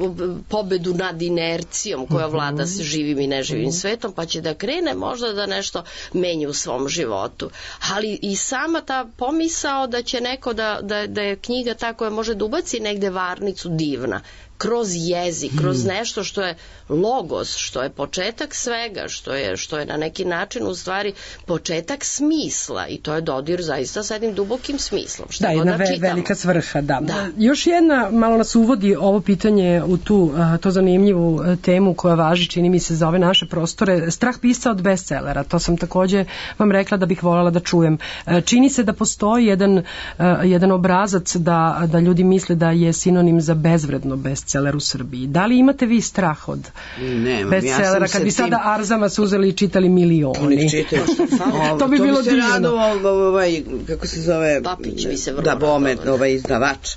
B: pobedu nad inercijom koja vlada s živim i neživim svetom, pa će da krene možda da nešto menja u svom životu. Ali i sama ta pomisao da će neko da, da, da je knjiga ta koja može da ubaci negde varnicu divna kroz jezik, kroz nešto što je logos, što je početak svega, što je, što je na neki način u stvari početak smisla i to je dodir zaista sa jednim dubokim smislom. Šta
D: da, jedna ve, velika svrha, da. da. Još jedna, malo nas uvodi ovo pitanje u tu, to zanimljivu temu koja važi, čini mi se, za ove naše prostore, strah pisca od bestsellera. To sam takođe vam rekla da bih voljela da čujem. Čini se da postoji jedan, jedan obrazac da, da ljudi misle da je sinonim za bezvredno bestseller bestseller u Srbiji. Da li imate vi strah od
E: Nemam,
D: bestsellera?
E: Ja
D: kad bi
E: tim...
D: sada Arzama su uzeli i čitali milioni.
E: Čitaju,
D: to bi
E: to
D: bilo
E: bi se
D: divno.
E: radovao, ovaj, kako se zove?
B: Papić bi se vrlo
E: da, Bome,
B: radovao.
E: ovaj izdavač.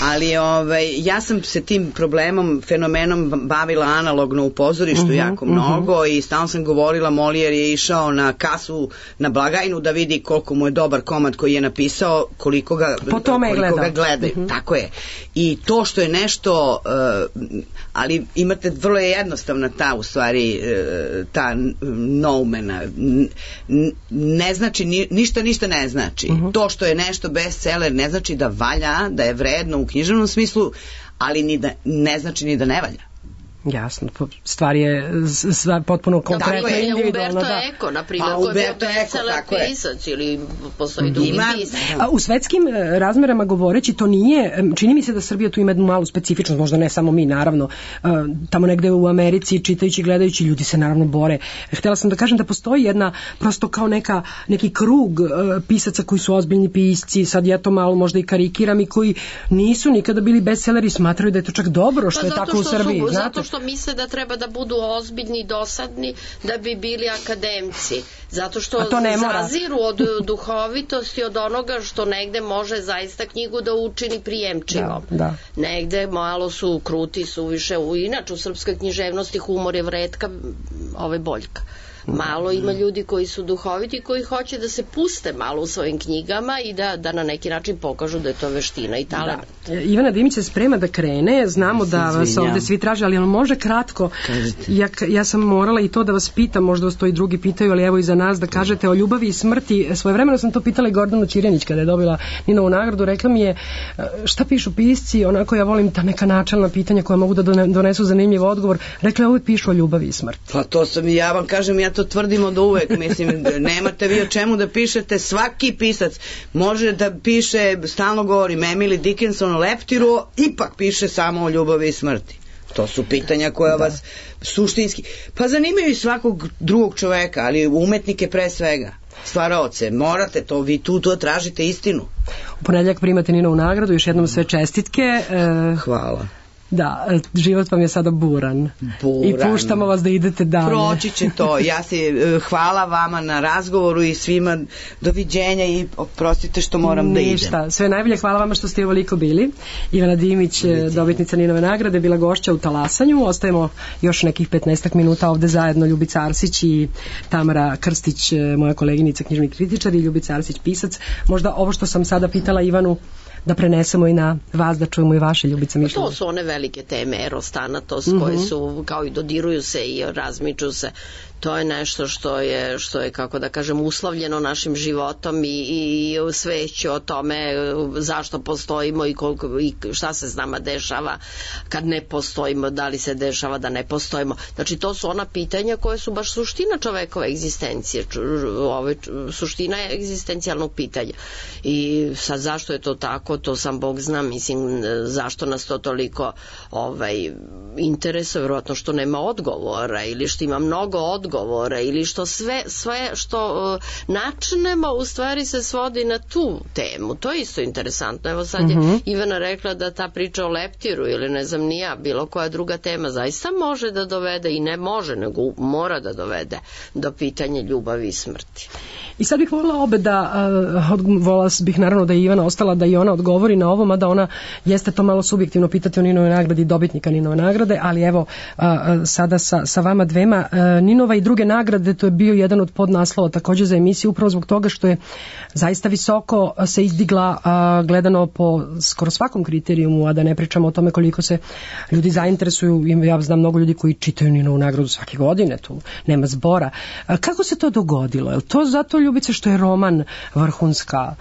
E: Ali ovaj, ja sam se tim problemom, fenomenom bavila analogno u pozorištu uh-huh, jako uh-huh. mnogo i stalno sam govorila, Molijer je išao na kasu, na blagajnu da vidi koliko mu je dobar komad koji je napisao, koliko ga, koliko ga gledaju. Uh-huh. Tako je. I to što je nešto, uh, ali imate vrlo je jednostavna ta u stvari uh, ta noumena. Ne znači, ni, ništa ništa ne znači. Uh-huh. To što je nešto bestseller ne znači da valja, da je vredno u književnom smislu, ali ni da, ne znači ni da ne valja.
D: Jasno, stvar je stvar potpuno konkretna i individualna.
B: Umberto Eco, na primjer,
E: Pa,
B: koji je bio
E: Umberto Eco,
B: bestseller
E: tako je.
B: pisac ili postoji drugi
E: Ima-
B: pisac.
D: A u svetskim e, razmerama govoreći, to nije, em, čini mi se da Srbija tu ima jednu malu specifičnost, možda ne samo mi, naravno, e, tamo negde u Americi, čitajući, gledajući, ljudi se naravno bore. Htjela sam da kažem da postoji jedna, prosto kao neka, neki krug e, pisaca koji su ozbiljni pisci, sad ja to malo možda i karikiram, i koji nisu nikada bili bestselleri, smatraju da je to čak dobro što
B: Pa
D: je
B: zato
D: tako u
B: što
D: Srbiji.
B: su,
D: znate?
B: zato što misle da treba da budu ozbiljni i dosadni da bi bili akademci. Zato što
D: A to ne mora.
B: zaziru od duhovitosti, od onoga što negde može zaista knjigu da učini prijemčivom.
D: Da, da.
B: Negde malo su kruti, su više, u, inače u srpskoj književnosti humor je vretka ove boljka. Malo ima ljudi koji su duhoviti, koji hoće da se puste malo u svojim knjigama i da, da na neki način pokažu da je to veština i talent.
D: Da. Ivana Dimić se sprema da krene, znamo da vas
E: izvinjam.
D: ovde svi traže, ali on može kratko. Ja, ja sam morala i to da vas pitam, možda vas to i drugi pitaju, ali evo i za nas da kažete o ljubavi i smrti. Svojevremeno sam to pitala i Gordanu Ćirjanić kada je dobila Ninovu nagradu, rekla mi je šta pišu pisci, onako ja volim ta neka načelna pitanja koja mogu da donesu zanimljiv odgovor. Rekla je uvijek pišu o ljubavi i smrti.
E: Pa to sam i ja vam kažem, ja to tvrdim od uvek, mislim, nemate vi o čemu da pišete, svaki pisac može da piše, stalno govorim, Emily Dickinson o leptiru, ipak piše samo o ljubavi i smrti. To su pitanja koja da. vas suštinski, pa zanimaju i svakog drugog čoveka, ali umetnike pre svega, stvaraoce, morate to, vi tu to tražite istinu.
D: U ponedjeljak primate Ninovu nagradu, još jednom sve čestitke. E...
E: Hvala.
D: Da, život vam je sada buran.
E: buran.
D: I puštamo vas da idete dalje.
E: Proći će to. Ja se hvala vama na razgovoru i svima doviđenja i oprostite što moram da idem.
D: Ništa, sve najbolje, hvala vama što ste ovoliko bili. Ivana Dimić, dobitnica Ninove nagrade, bila gošća u Talasanju. Ostajemo još nekih petnaestak minuta ovde zajedno, Ljubica Arsić i Tamara Krstić, moja koleginica, knjižni kritičar, i Ljubica Arsić, pisac. Možda ovo što sam sada pitala Ivanu da prenesemo i na vas, da čujemo i vaše, Ljubica, mišljenje.
B: To su one velike teme, eros, thanatos, mm-hmm. koje su, kao i dodiruju se i razmiču se. To je nešto što je, što je, kako da kažem, uslovljeno našim životom i, i sveću o tome zašto postojimo i, koliko, i šta se s nama dešava kad ne postojimo, da li se dešava da ne postojimo. Znači, to su ona pitanja koje su baš suština čovekove egzistencije, ove, suština je egzistencijalnog pitanja. I sad zašto je to tako, to sam Bog zna, mislim, zašto nas to toliko ovaj, interesuje, vjerojatno što nema odgovora ili što ima mnogo odgovora govore ili što sve, sve što uh, načnemo u stvari se svodi na tu temu. To je isto interesantno. Evo sad je uh-huh. Ivana rekla da ta priča o leptiru ili ne znam ni ja, bilo koja druga tema zaista može da dovede, i ne može, nego mora da dovede do pitanja ljubavi i smrti.
D: I sad bih volila obe da, uh, volila bih naravno da je Ivana ostala da i ona odgovori na ovo, mada ona jeste to malo subjektivno pitati o Ninove nagradi, dobitnika Ninove nagrade, ali evo uh, sada sa, sa vama dvema. Uh, Ninova i druge nagrade, to je bio jedan od podnaslova također za emisiju, upravo zbog toga što je zaista visoko se izdigla uh, gledano po skoro svakom kriterijumu, a da ne pričamo o tome koliko se ljudi zainteresuju. Ja znam mnogo ljudi koji čitaju Ninovu nagradu svake godine, tu nema zbora. Uh, kako se to dogodilo? Je to zato, Ljubice, što je roman vrhunska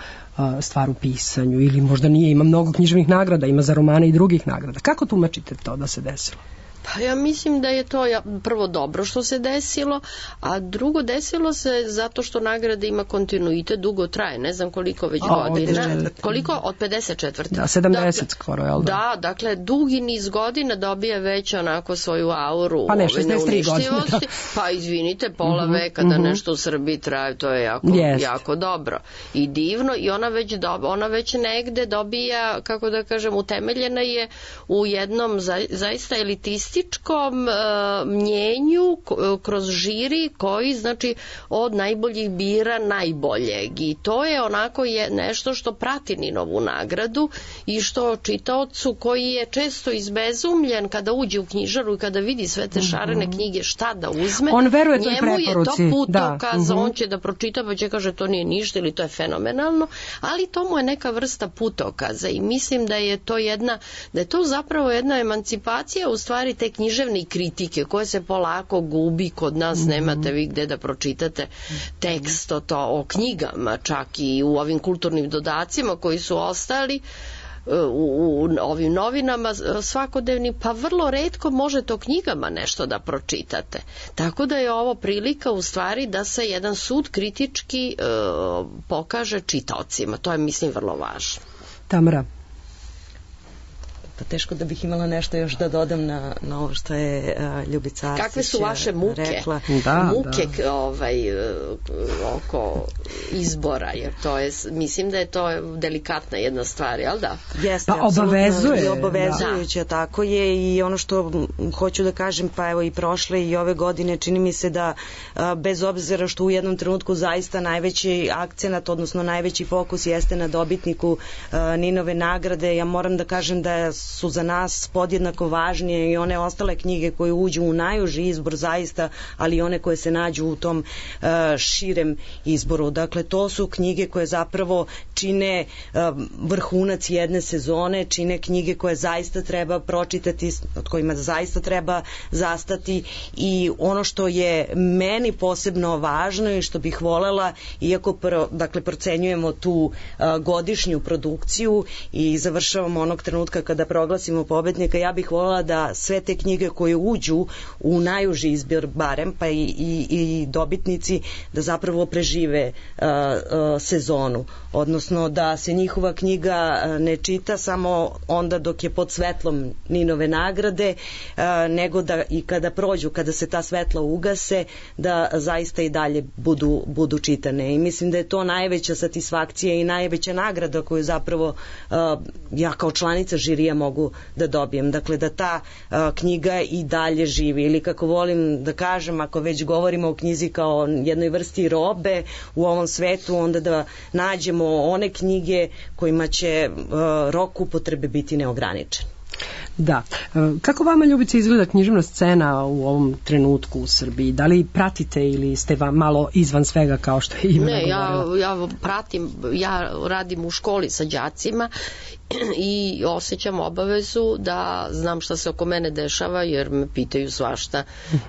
D: stvar u pisanju, ili možda nije, ima mnogo književnih nagrada, ima za romane i drugih nagrada. Kako tumačite to da se desilo?
B: Pa ja mislim da je to prvo dobro što se desilo, a drugo desilo se zato što nagrada ima kontinuitet, dugo traje, ne znam koliko već o, godina. Koliko? Od pedeset četvrte Da,
D: sedamdeset
B: dakle,
D: skoro, jel da?
B: Da, dakle, dugi niz godina dobija već onako svoju auru
D: pa ne, šezdeset tri godine.
B: Pa izvinite, pola uh-huh, veka da uh-huh. nešto u Srbiji traje, to je jako, jako dobro i divno, i ona već, do, ona već negde dobija, kako da kažem, utemeljena je u jednom za, zaista elitističnom uh, mnjenju kroz žiri koji, znači, od najboljih bira najboljeg, i to je onako je nešto što prati Ninovu nagradu i što čitaocu koji je često izbezumljen kada uđe u knjižaru i kada vidi sve te šarene mm-hmm. knjige šta da uzme,
D: on veruje toj
B: njemu
D: preporuci.
B: Je to putokaz, da.
D: mm-hmm.
B: on će da pročita pa će kaže to nije ništa ili to je fenomenalno, ali to mu je neka vrsta putokaza i mislim da je to jedna, da je to zapravo jedna emancipacija u stvari te književne kritike koje se polako gubi kod nas, mm-hmm. nemate vi gde da pročitate tekst o, to, o knjigama, čak i u ovim kulturnim dodacima koji su ostali. u, u ovim novinama svakodnevnim, pa vrlo retko možete o knjigama nešto da pročitate. Tako da je ovo prilika u stvari da se jedan sud kritički e, pokaže čitaocima. To je, mislim, vrlo važno.
D: Tamara.
F: Pa teško da bih imala nešto još da dodam na, na ovo što je uh, Ljubica Arsić
B: kakve su vaše muke
F: rekla.
B: Da, muke da. Ovaj, oko izbora, jer to je, mislim da je to delikatna jedna stvar, jel da?
F: Jeste,
D: pa obavezuje.
F: I obavezujuće, da. Tako je, i ono što hoću da kažem, pa evo i prošle i ove godine, čini mi se da a, bez obzira što u jednom trenutku zaista najveći akcenat, odnosno najveći fokus jeste na dobitniku a, Ninove nagrade, ja moram da kažem da su za nas podjednako važnije i one ostale knjige koje uđu u najuži izbor zaista, ali i one koje se nađu u tom uh, širem izboru. Dakle, to su knjige koje zapravo čine uh, vrhunac jedne sezone, čine knjige koje zaista treba pročitati, od kojima zaista treba zastati, i ono što je meni posebno važno i što bih volela, iako pro, dakle, procenjujemo tu uh, godišnju produkciju i završavamo onog trenutka kada proglasimo pobednika, ja bih voljela da sve te knjige koje uđu u najuži izbor barem, pa i, i, i dobitnici, da zapravo prežive uh, uh, sezonu. Odnosno da se njihova knjiga uh, ne čita samo onda dok je pod svetlom Ninove nagrade, uh, nego da i kada prođu, kada se ta svetla ugase, da zaista i dalje budu, budu čitane. I mislim da je to najveća satisfakcija i najveća nagrada koju zapravo uh, ja kao članica žirija mogu da dobijem. Dakle, da ta uh, knjiga i dalje živi, ili kako volim da kažem, ako već govorimo o knjizi kao jednoj vrsti robe u ovom svetu, onda da nađemo one knjige kojima će uh, rok upotrebe biti neograničen.
D: Da. Kako vama, Ljubica, izgleda književna scena u ovom trenutku u Srbiji? Da li pratite ili ste vam malo izvan svega kao što je Ivana govorila?
B: Ne, ja, ja pratim, ja radim u školi sa đacima i osjećam obavezu da znam šta se oko mene dešava, jer me pitaju svašta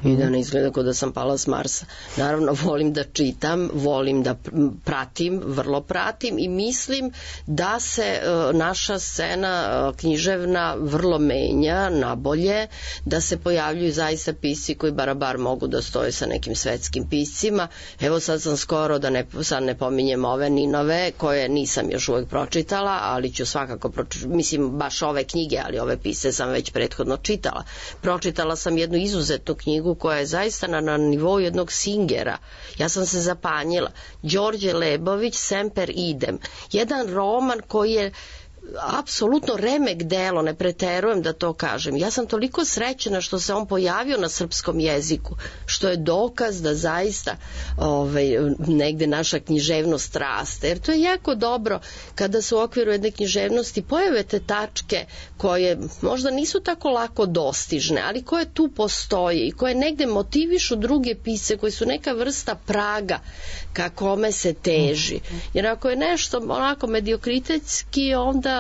B: i da ne izgleda kao da sam pala s Marsa. Naravno, volim da čitam, volim da pratim, vrlo pratim, i mislim da se uh, naša scena uh, književna vrlo menja na bolje, da se pojavljuju zaista pisci koji barabar mogu da stoje sa nekim svetskim piscima. Evo sad sam skoro, da ne, sad ne pominjem ove Ninove, koje nisam još uvek pročitala, ali ću svakako pročitati, mislim baš ove knjige, ali ove pisce sam već prethodno čitala. Pročitala sam jednu izuzetnu knjigu koja je zaista na, na nivou jednog Singera. Ja sam se zapanjila. Đorđe Lebović, Semper idem. Jedan roman koji je apsolutno remek delo, ne preterujem da to kažem. Ja sam toliko srećena što se on pojavio na srpskom jeziku, što je dokaz da zaista ovaj, negde naša književnost raste. Jer to je jako dobro kada se u okviru jedne književnosti pojave te tačke koje možda nisu tako lako dostižne, ali koje tu postoje i koje negde motivišu druge pisce, koji su neka vrsta praga ka kome se teži. Jer ako je nešto onako mediokritetski, onda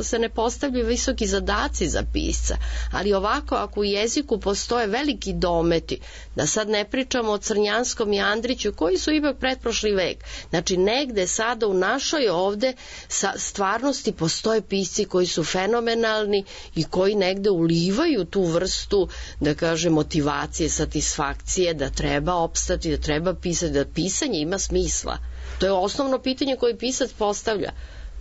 B: se ne postavljaju visoki zadaci za pisca, ali ovako ako u jeziku postoje veliki dometi, da sad ne pričamo o Crnjanskom i Andriću koji su ipak pretprošli vek, znači negde sada u našoj ovde sa stvarnosti postoje pisci koji su fenomenalni i koji negde ulivaju tu vrstu, da kaže, motivacije, satisfakcije, da treba opstati, da treba pisati, da pisanje ima smisla. To je osnovno pitanje koje pisac postavlja.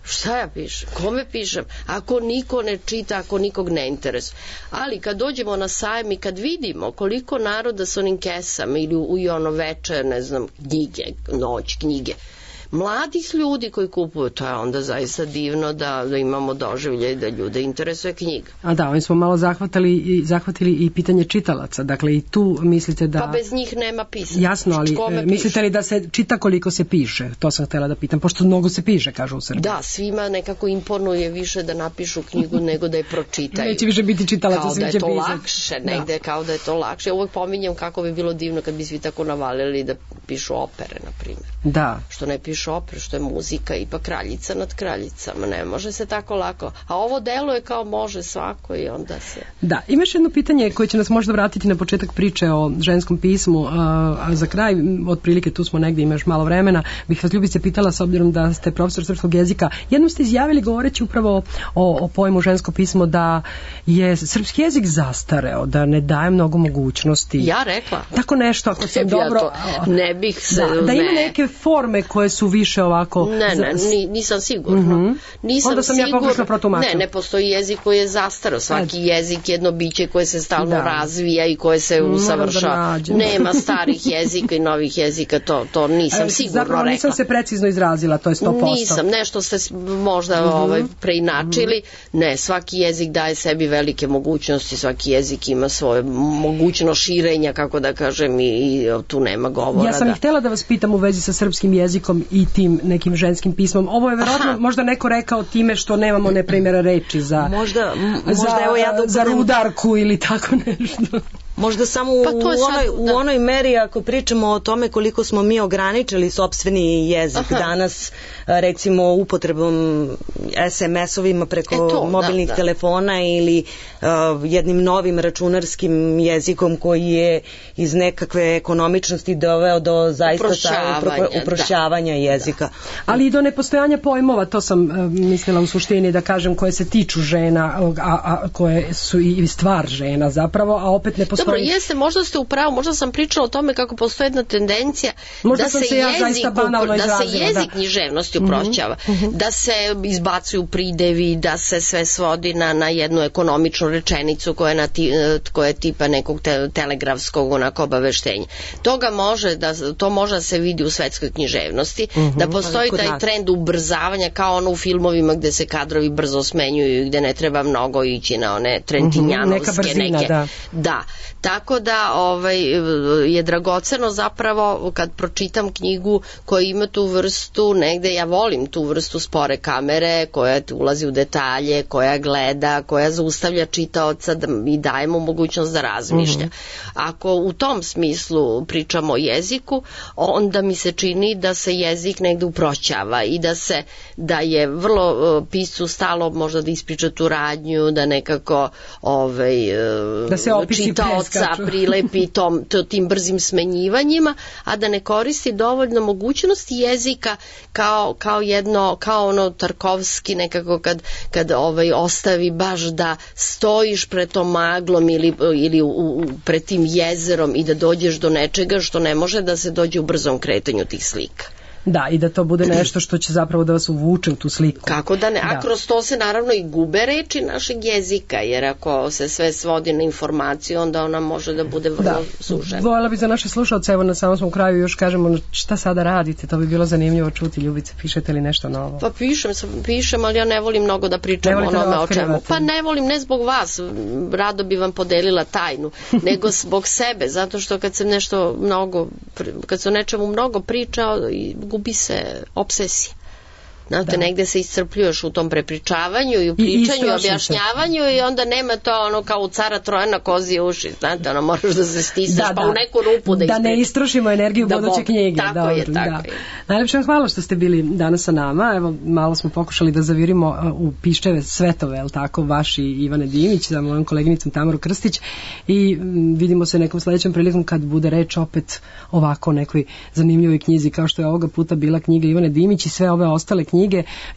B: Šta ja pišem? Kome pišem? Ako niko ne čita, ako nikog ne interesuje. Ali kad dođemo na sajam i kad vidimo koliko naroda sa onim kesama ili u, u ono veče, ne znam, knjige, noć knjige, mladih ljudi koji kupuju, to je onda zaista divno da, da imamo doživlje da ljude interesuje knjiga.
D: A da, ovim smo malo zahvatili i, zahvatili i pitanje čitalaca, dakle i tu mislite da...
B: Pa bez njih nema pisanja.
D: Jasno, ali
B: Kome
D: mislite
B: piše?
D: li da se čita koliko se piše? To sam htjela da pitam, pošto mnogo se piše, kažu u Srbiji.
B: Da, svima nekako imponuje više da napišu knjigu nego da je pročitaju.
D: Neće više biti čitalaca, svi će pisati.
B: Kao da je to lakše, negde da. Kao da je to lakše. Ja uvek pominjem kako bi bilo divno kad bi svi tako navalili da pišu opere, na primjer.
D: Da.
B: Što ne pišu opere, što je muzika ipak kraljica nad kraljicama, ne može se tako lako. A ovo deluje kao može svako i onda se...
D: Da, imaš jedno pitanje koje će nas možda vratiti na početak priče o ženskom pismu, a, a za kraj, otprilike tu smo negdje, imaš malo vremena, bih vas Ljubice pitala, s obzirom da ste profesor srpskog jezika, jednom ste izjavili govoreći upravo o, o pojmu žensko pismo da je srpski jezik zastareo, da ne daje mnogo mogućnosti.
B: Ja rekla.
D: Tako nešto, ako sam
B: ja
D: dobro...
B: To, ne bih se...
D: Da, da ima
B: ne.
D: neke forme koje su više ovako...
B: Ne, ne, ni, nisam sigurna.
D: Mm-hmm.
B: Nisam
D: Onda sam
B: sigur...
D: ja pogrešno protumačila.
B: Ne, ne postoji jezik koji je zastareo. Svaki Ajde. jezik je jedno biće koje se stalno da. razvija i koje se usavršava. Da nema starih jezika i novih jezika, to, to nisam sigurno
D: Zapravo
B: rekla.
D: nisam se precizno izrazila, to je sto posto.
B: Nisam, nešto ste možda mm-hmm. ovaj, preinačili. Mm-hmm. Ne, svaki jezik daje sebi velike mogućnosti, svaki jezik ima svoje mogućnost širenja, kako da kažem, i, i tu nema govora.
D: Ja sam
B: da.
D: i htjela da vas pitam u vezi sa srpskim jezikom i tim nekim ženskim pismom. Ovo je verovatno možda neko rekao time što nemamo ne primjera reči za,
F: možda, možda
D: za,
F: evo ja da
D: za rudarku ili tako nešto.
F: Možda samo pa u, onoj, sad, u onoj meri ako pričamo o tome koliko smo mi ograničili sopstveni jezik. Aha. Danas recimo upotrebom es em es-ovima preko to, mobilnih da, da. telefona ili uh, jednim novim računarskim jezikom koji je iz nekakve ekonomičnosti doveo do zaista uprošćavanja, uprošćavanja da. jezika. Da.
D: Ali i do nepostojanja pojmova, to sam uh, mislila u suštini da kažem, koje se tiču žena, a, a koje su i stvar žena zapravo, a opet ne postoji.
B: Dobro, jeste, možda ste u pravu, možda sam pričala o tome kako postoji jedna tendencija možda da se, se, ja jezik, da se jezik da. književnosti uprošćava, mm-hmm. da se izbacuju pridevi, da se sve svodi na, na jednu ekonomičnu rečenicu koja je, na ti, koja je tipa nekog te, telegrafskog onako obaveštenja. Toga može da, to može da se vidi u svetskoj književnosti, mm-hmm. da postoji taj nas. trend ubrzavanja kao ono u filmovima gde se kadrovi brzo smenjuju i gde ne treba mnogo ići na one trentinjanovske
D: mm-hmm. neka brzina,
B: neke.
D: Da.
B: da. Tako da ovaj, je dragoceno zapravo kad pročitam knjigu koja ima tu vrstu, negde ja volim tu vrstu spore kamere koja ulazi u detalje, koja gleda, koja zaustavlja čitaoca da, i daje mu mogućnost da razmišlja. Mm-hmm. Ako u tom smislu pričamo o jeziku, onda mi se čini da se jezik negde uprošćava i da se da je vrlo uh, piscu stalo možda da ispriča tu radnju, da nekako ovaj, uh,
D: da se opisi
B: čitaoca prilepi tom, tim brzim smenjivanjima, a da ne koristi dovoljno mogućnosti jezika kao, kao jedno, kao ono Tarkovski nekako kad, kad ovaj, ostavi baš da stojiš pred tom maglom ili, ili u, u, pred tim jezerom i da dođeš do nečega što ne može da se dođe u brzom kretanju tih slika.
D: Da, i da to bude nešto što će zapravo da vas uvuče u tu sliku.
B: Kako da ne, a da. kroz to se naravno i gube reči našeg jezika, jer ako se sve svodi na informaciju, onda ona može da bude vrlo da. sužena.
D: Voljela bi za naše slušalce, evo na samom smo kraju još kažemo šta sada radite, to bi bilo zanimljivo čuti. Ljubice, pišete li nešto novo?
B: Pa pišem, pišem, ali ja ne volim mnogo da pričam o onome o čemu. Pa ne volim, ne zbog vas, rado bi vam podelila tajnu, nego zbog sebe, zato što kad sam nešto mnogo, kad sam nečemu mnogo pričao, gubi se obsesija. Znate, da. negde se iscrpljuješ u tom prepričavanju i u pričanju i, i objašnjavanju i onda nema to ono kao u cara Trojana kozije uši, znate, ono moraš da se stisneš da, pa da. u neku rupu da ispričaš.
D: Da ne istrošimo energiju da buduće knjige.
B: Tako
D: Dobro,
B: je, tako
D: da.
B: je.
D: Najlepše vam hvala što ste bili danas sa nama. Evo, malo smo pokušali da zavirimo u Piščeve svetove, je li tako, vaši Ivane Dimić sa mojom koleginicom Tamaru Krstić i m, vidimo se nekom sledećem prilikom kad bude reč opet ovako nekoj zanimljivoj knjizi kao što je ovoga puta bila knjiga Ivane Dimić i sve ove ostale knjige.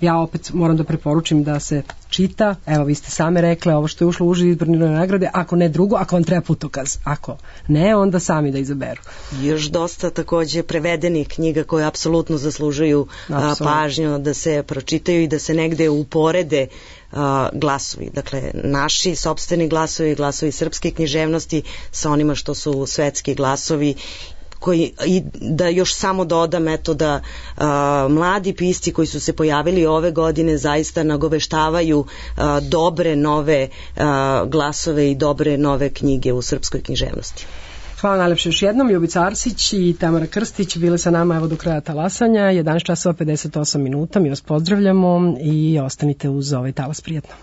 D: Ja opet moram da preporučim da se čita, evo vi ste same rekle ovo što je ušlo u uži izborne nagrade, ako ne drugo, ako vam treba putokaz, ako ne, onda sami da izaberu.
F: Još dosta takođe prevedenih knjiga koje apsolutno zaslužuju a, pažnju da se pročitaju i da se negde uporede a, glasovi, dakle naši sopstveni glasovi, glasovi srpske književnosti sa onima što su svetski glasovi koji, i da još samo dodam eto da a, mladi pisci koji su se pojavili ove godine zaista nagoveštavaju a, dobre nove a, glasove i dobre nove knjige u srpskoj književnosti.
D: Hvala najlepše još jednom. Ljubica Arsić i Tamara Krstić bile sa nama evo do kraja talasanja. jedanaest časova pedeset osam minuta. Mi vas pozdravljamo i ostanite uz ovaj talas prijatno.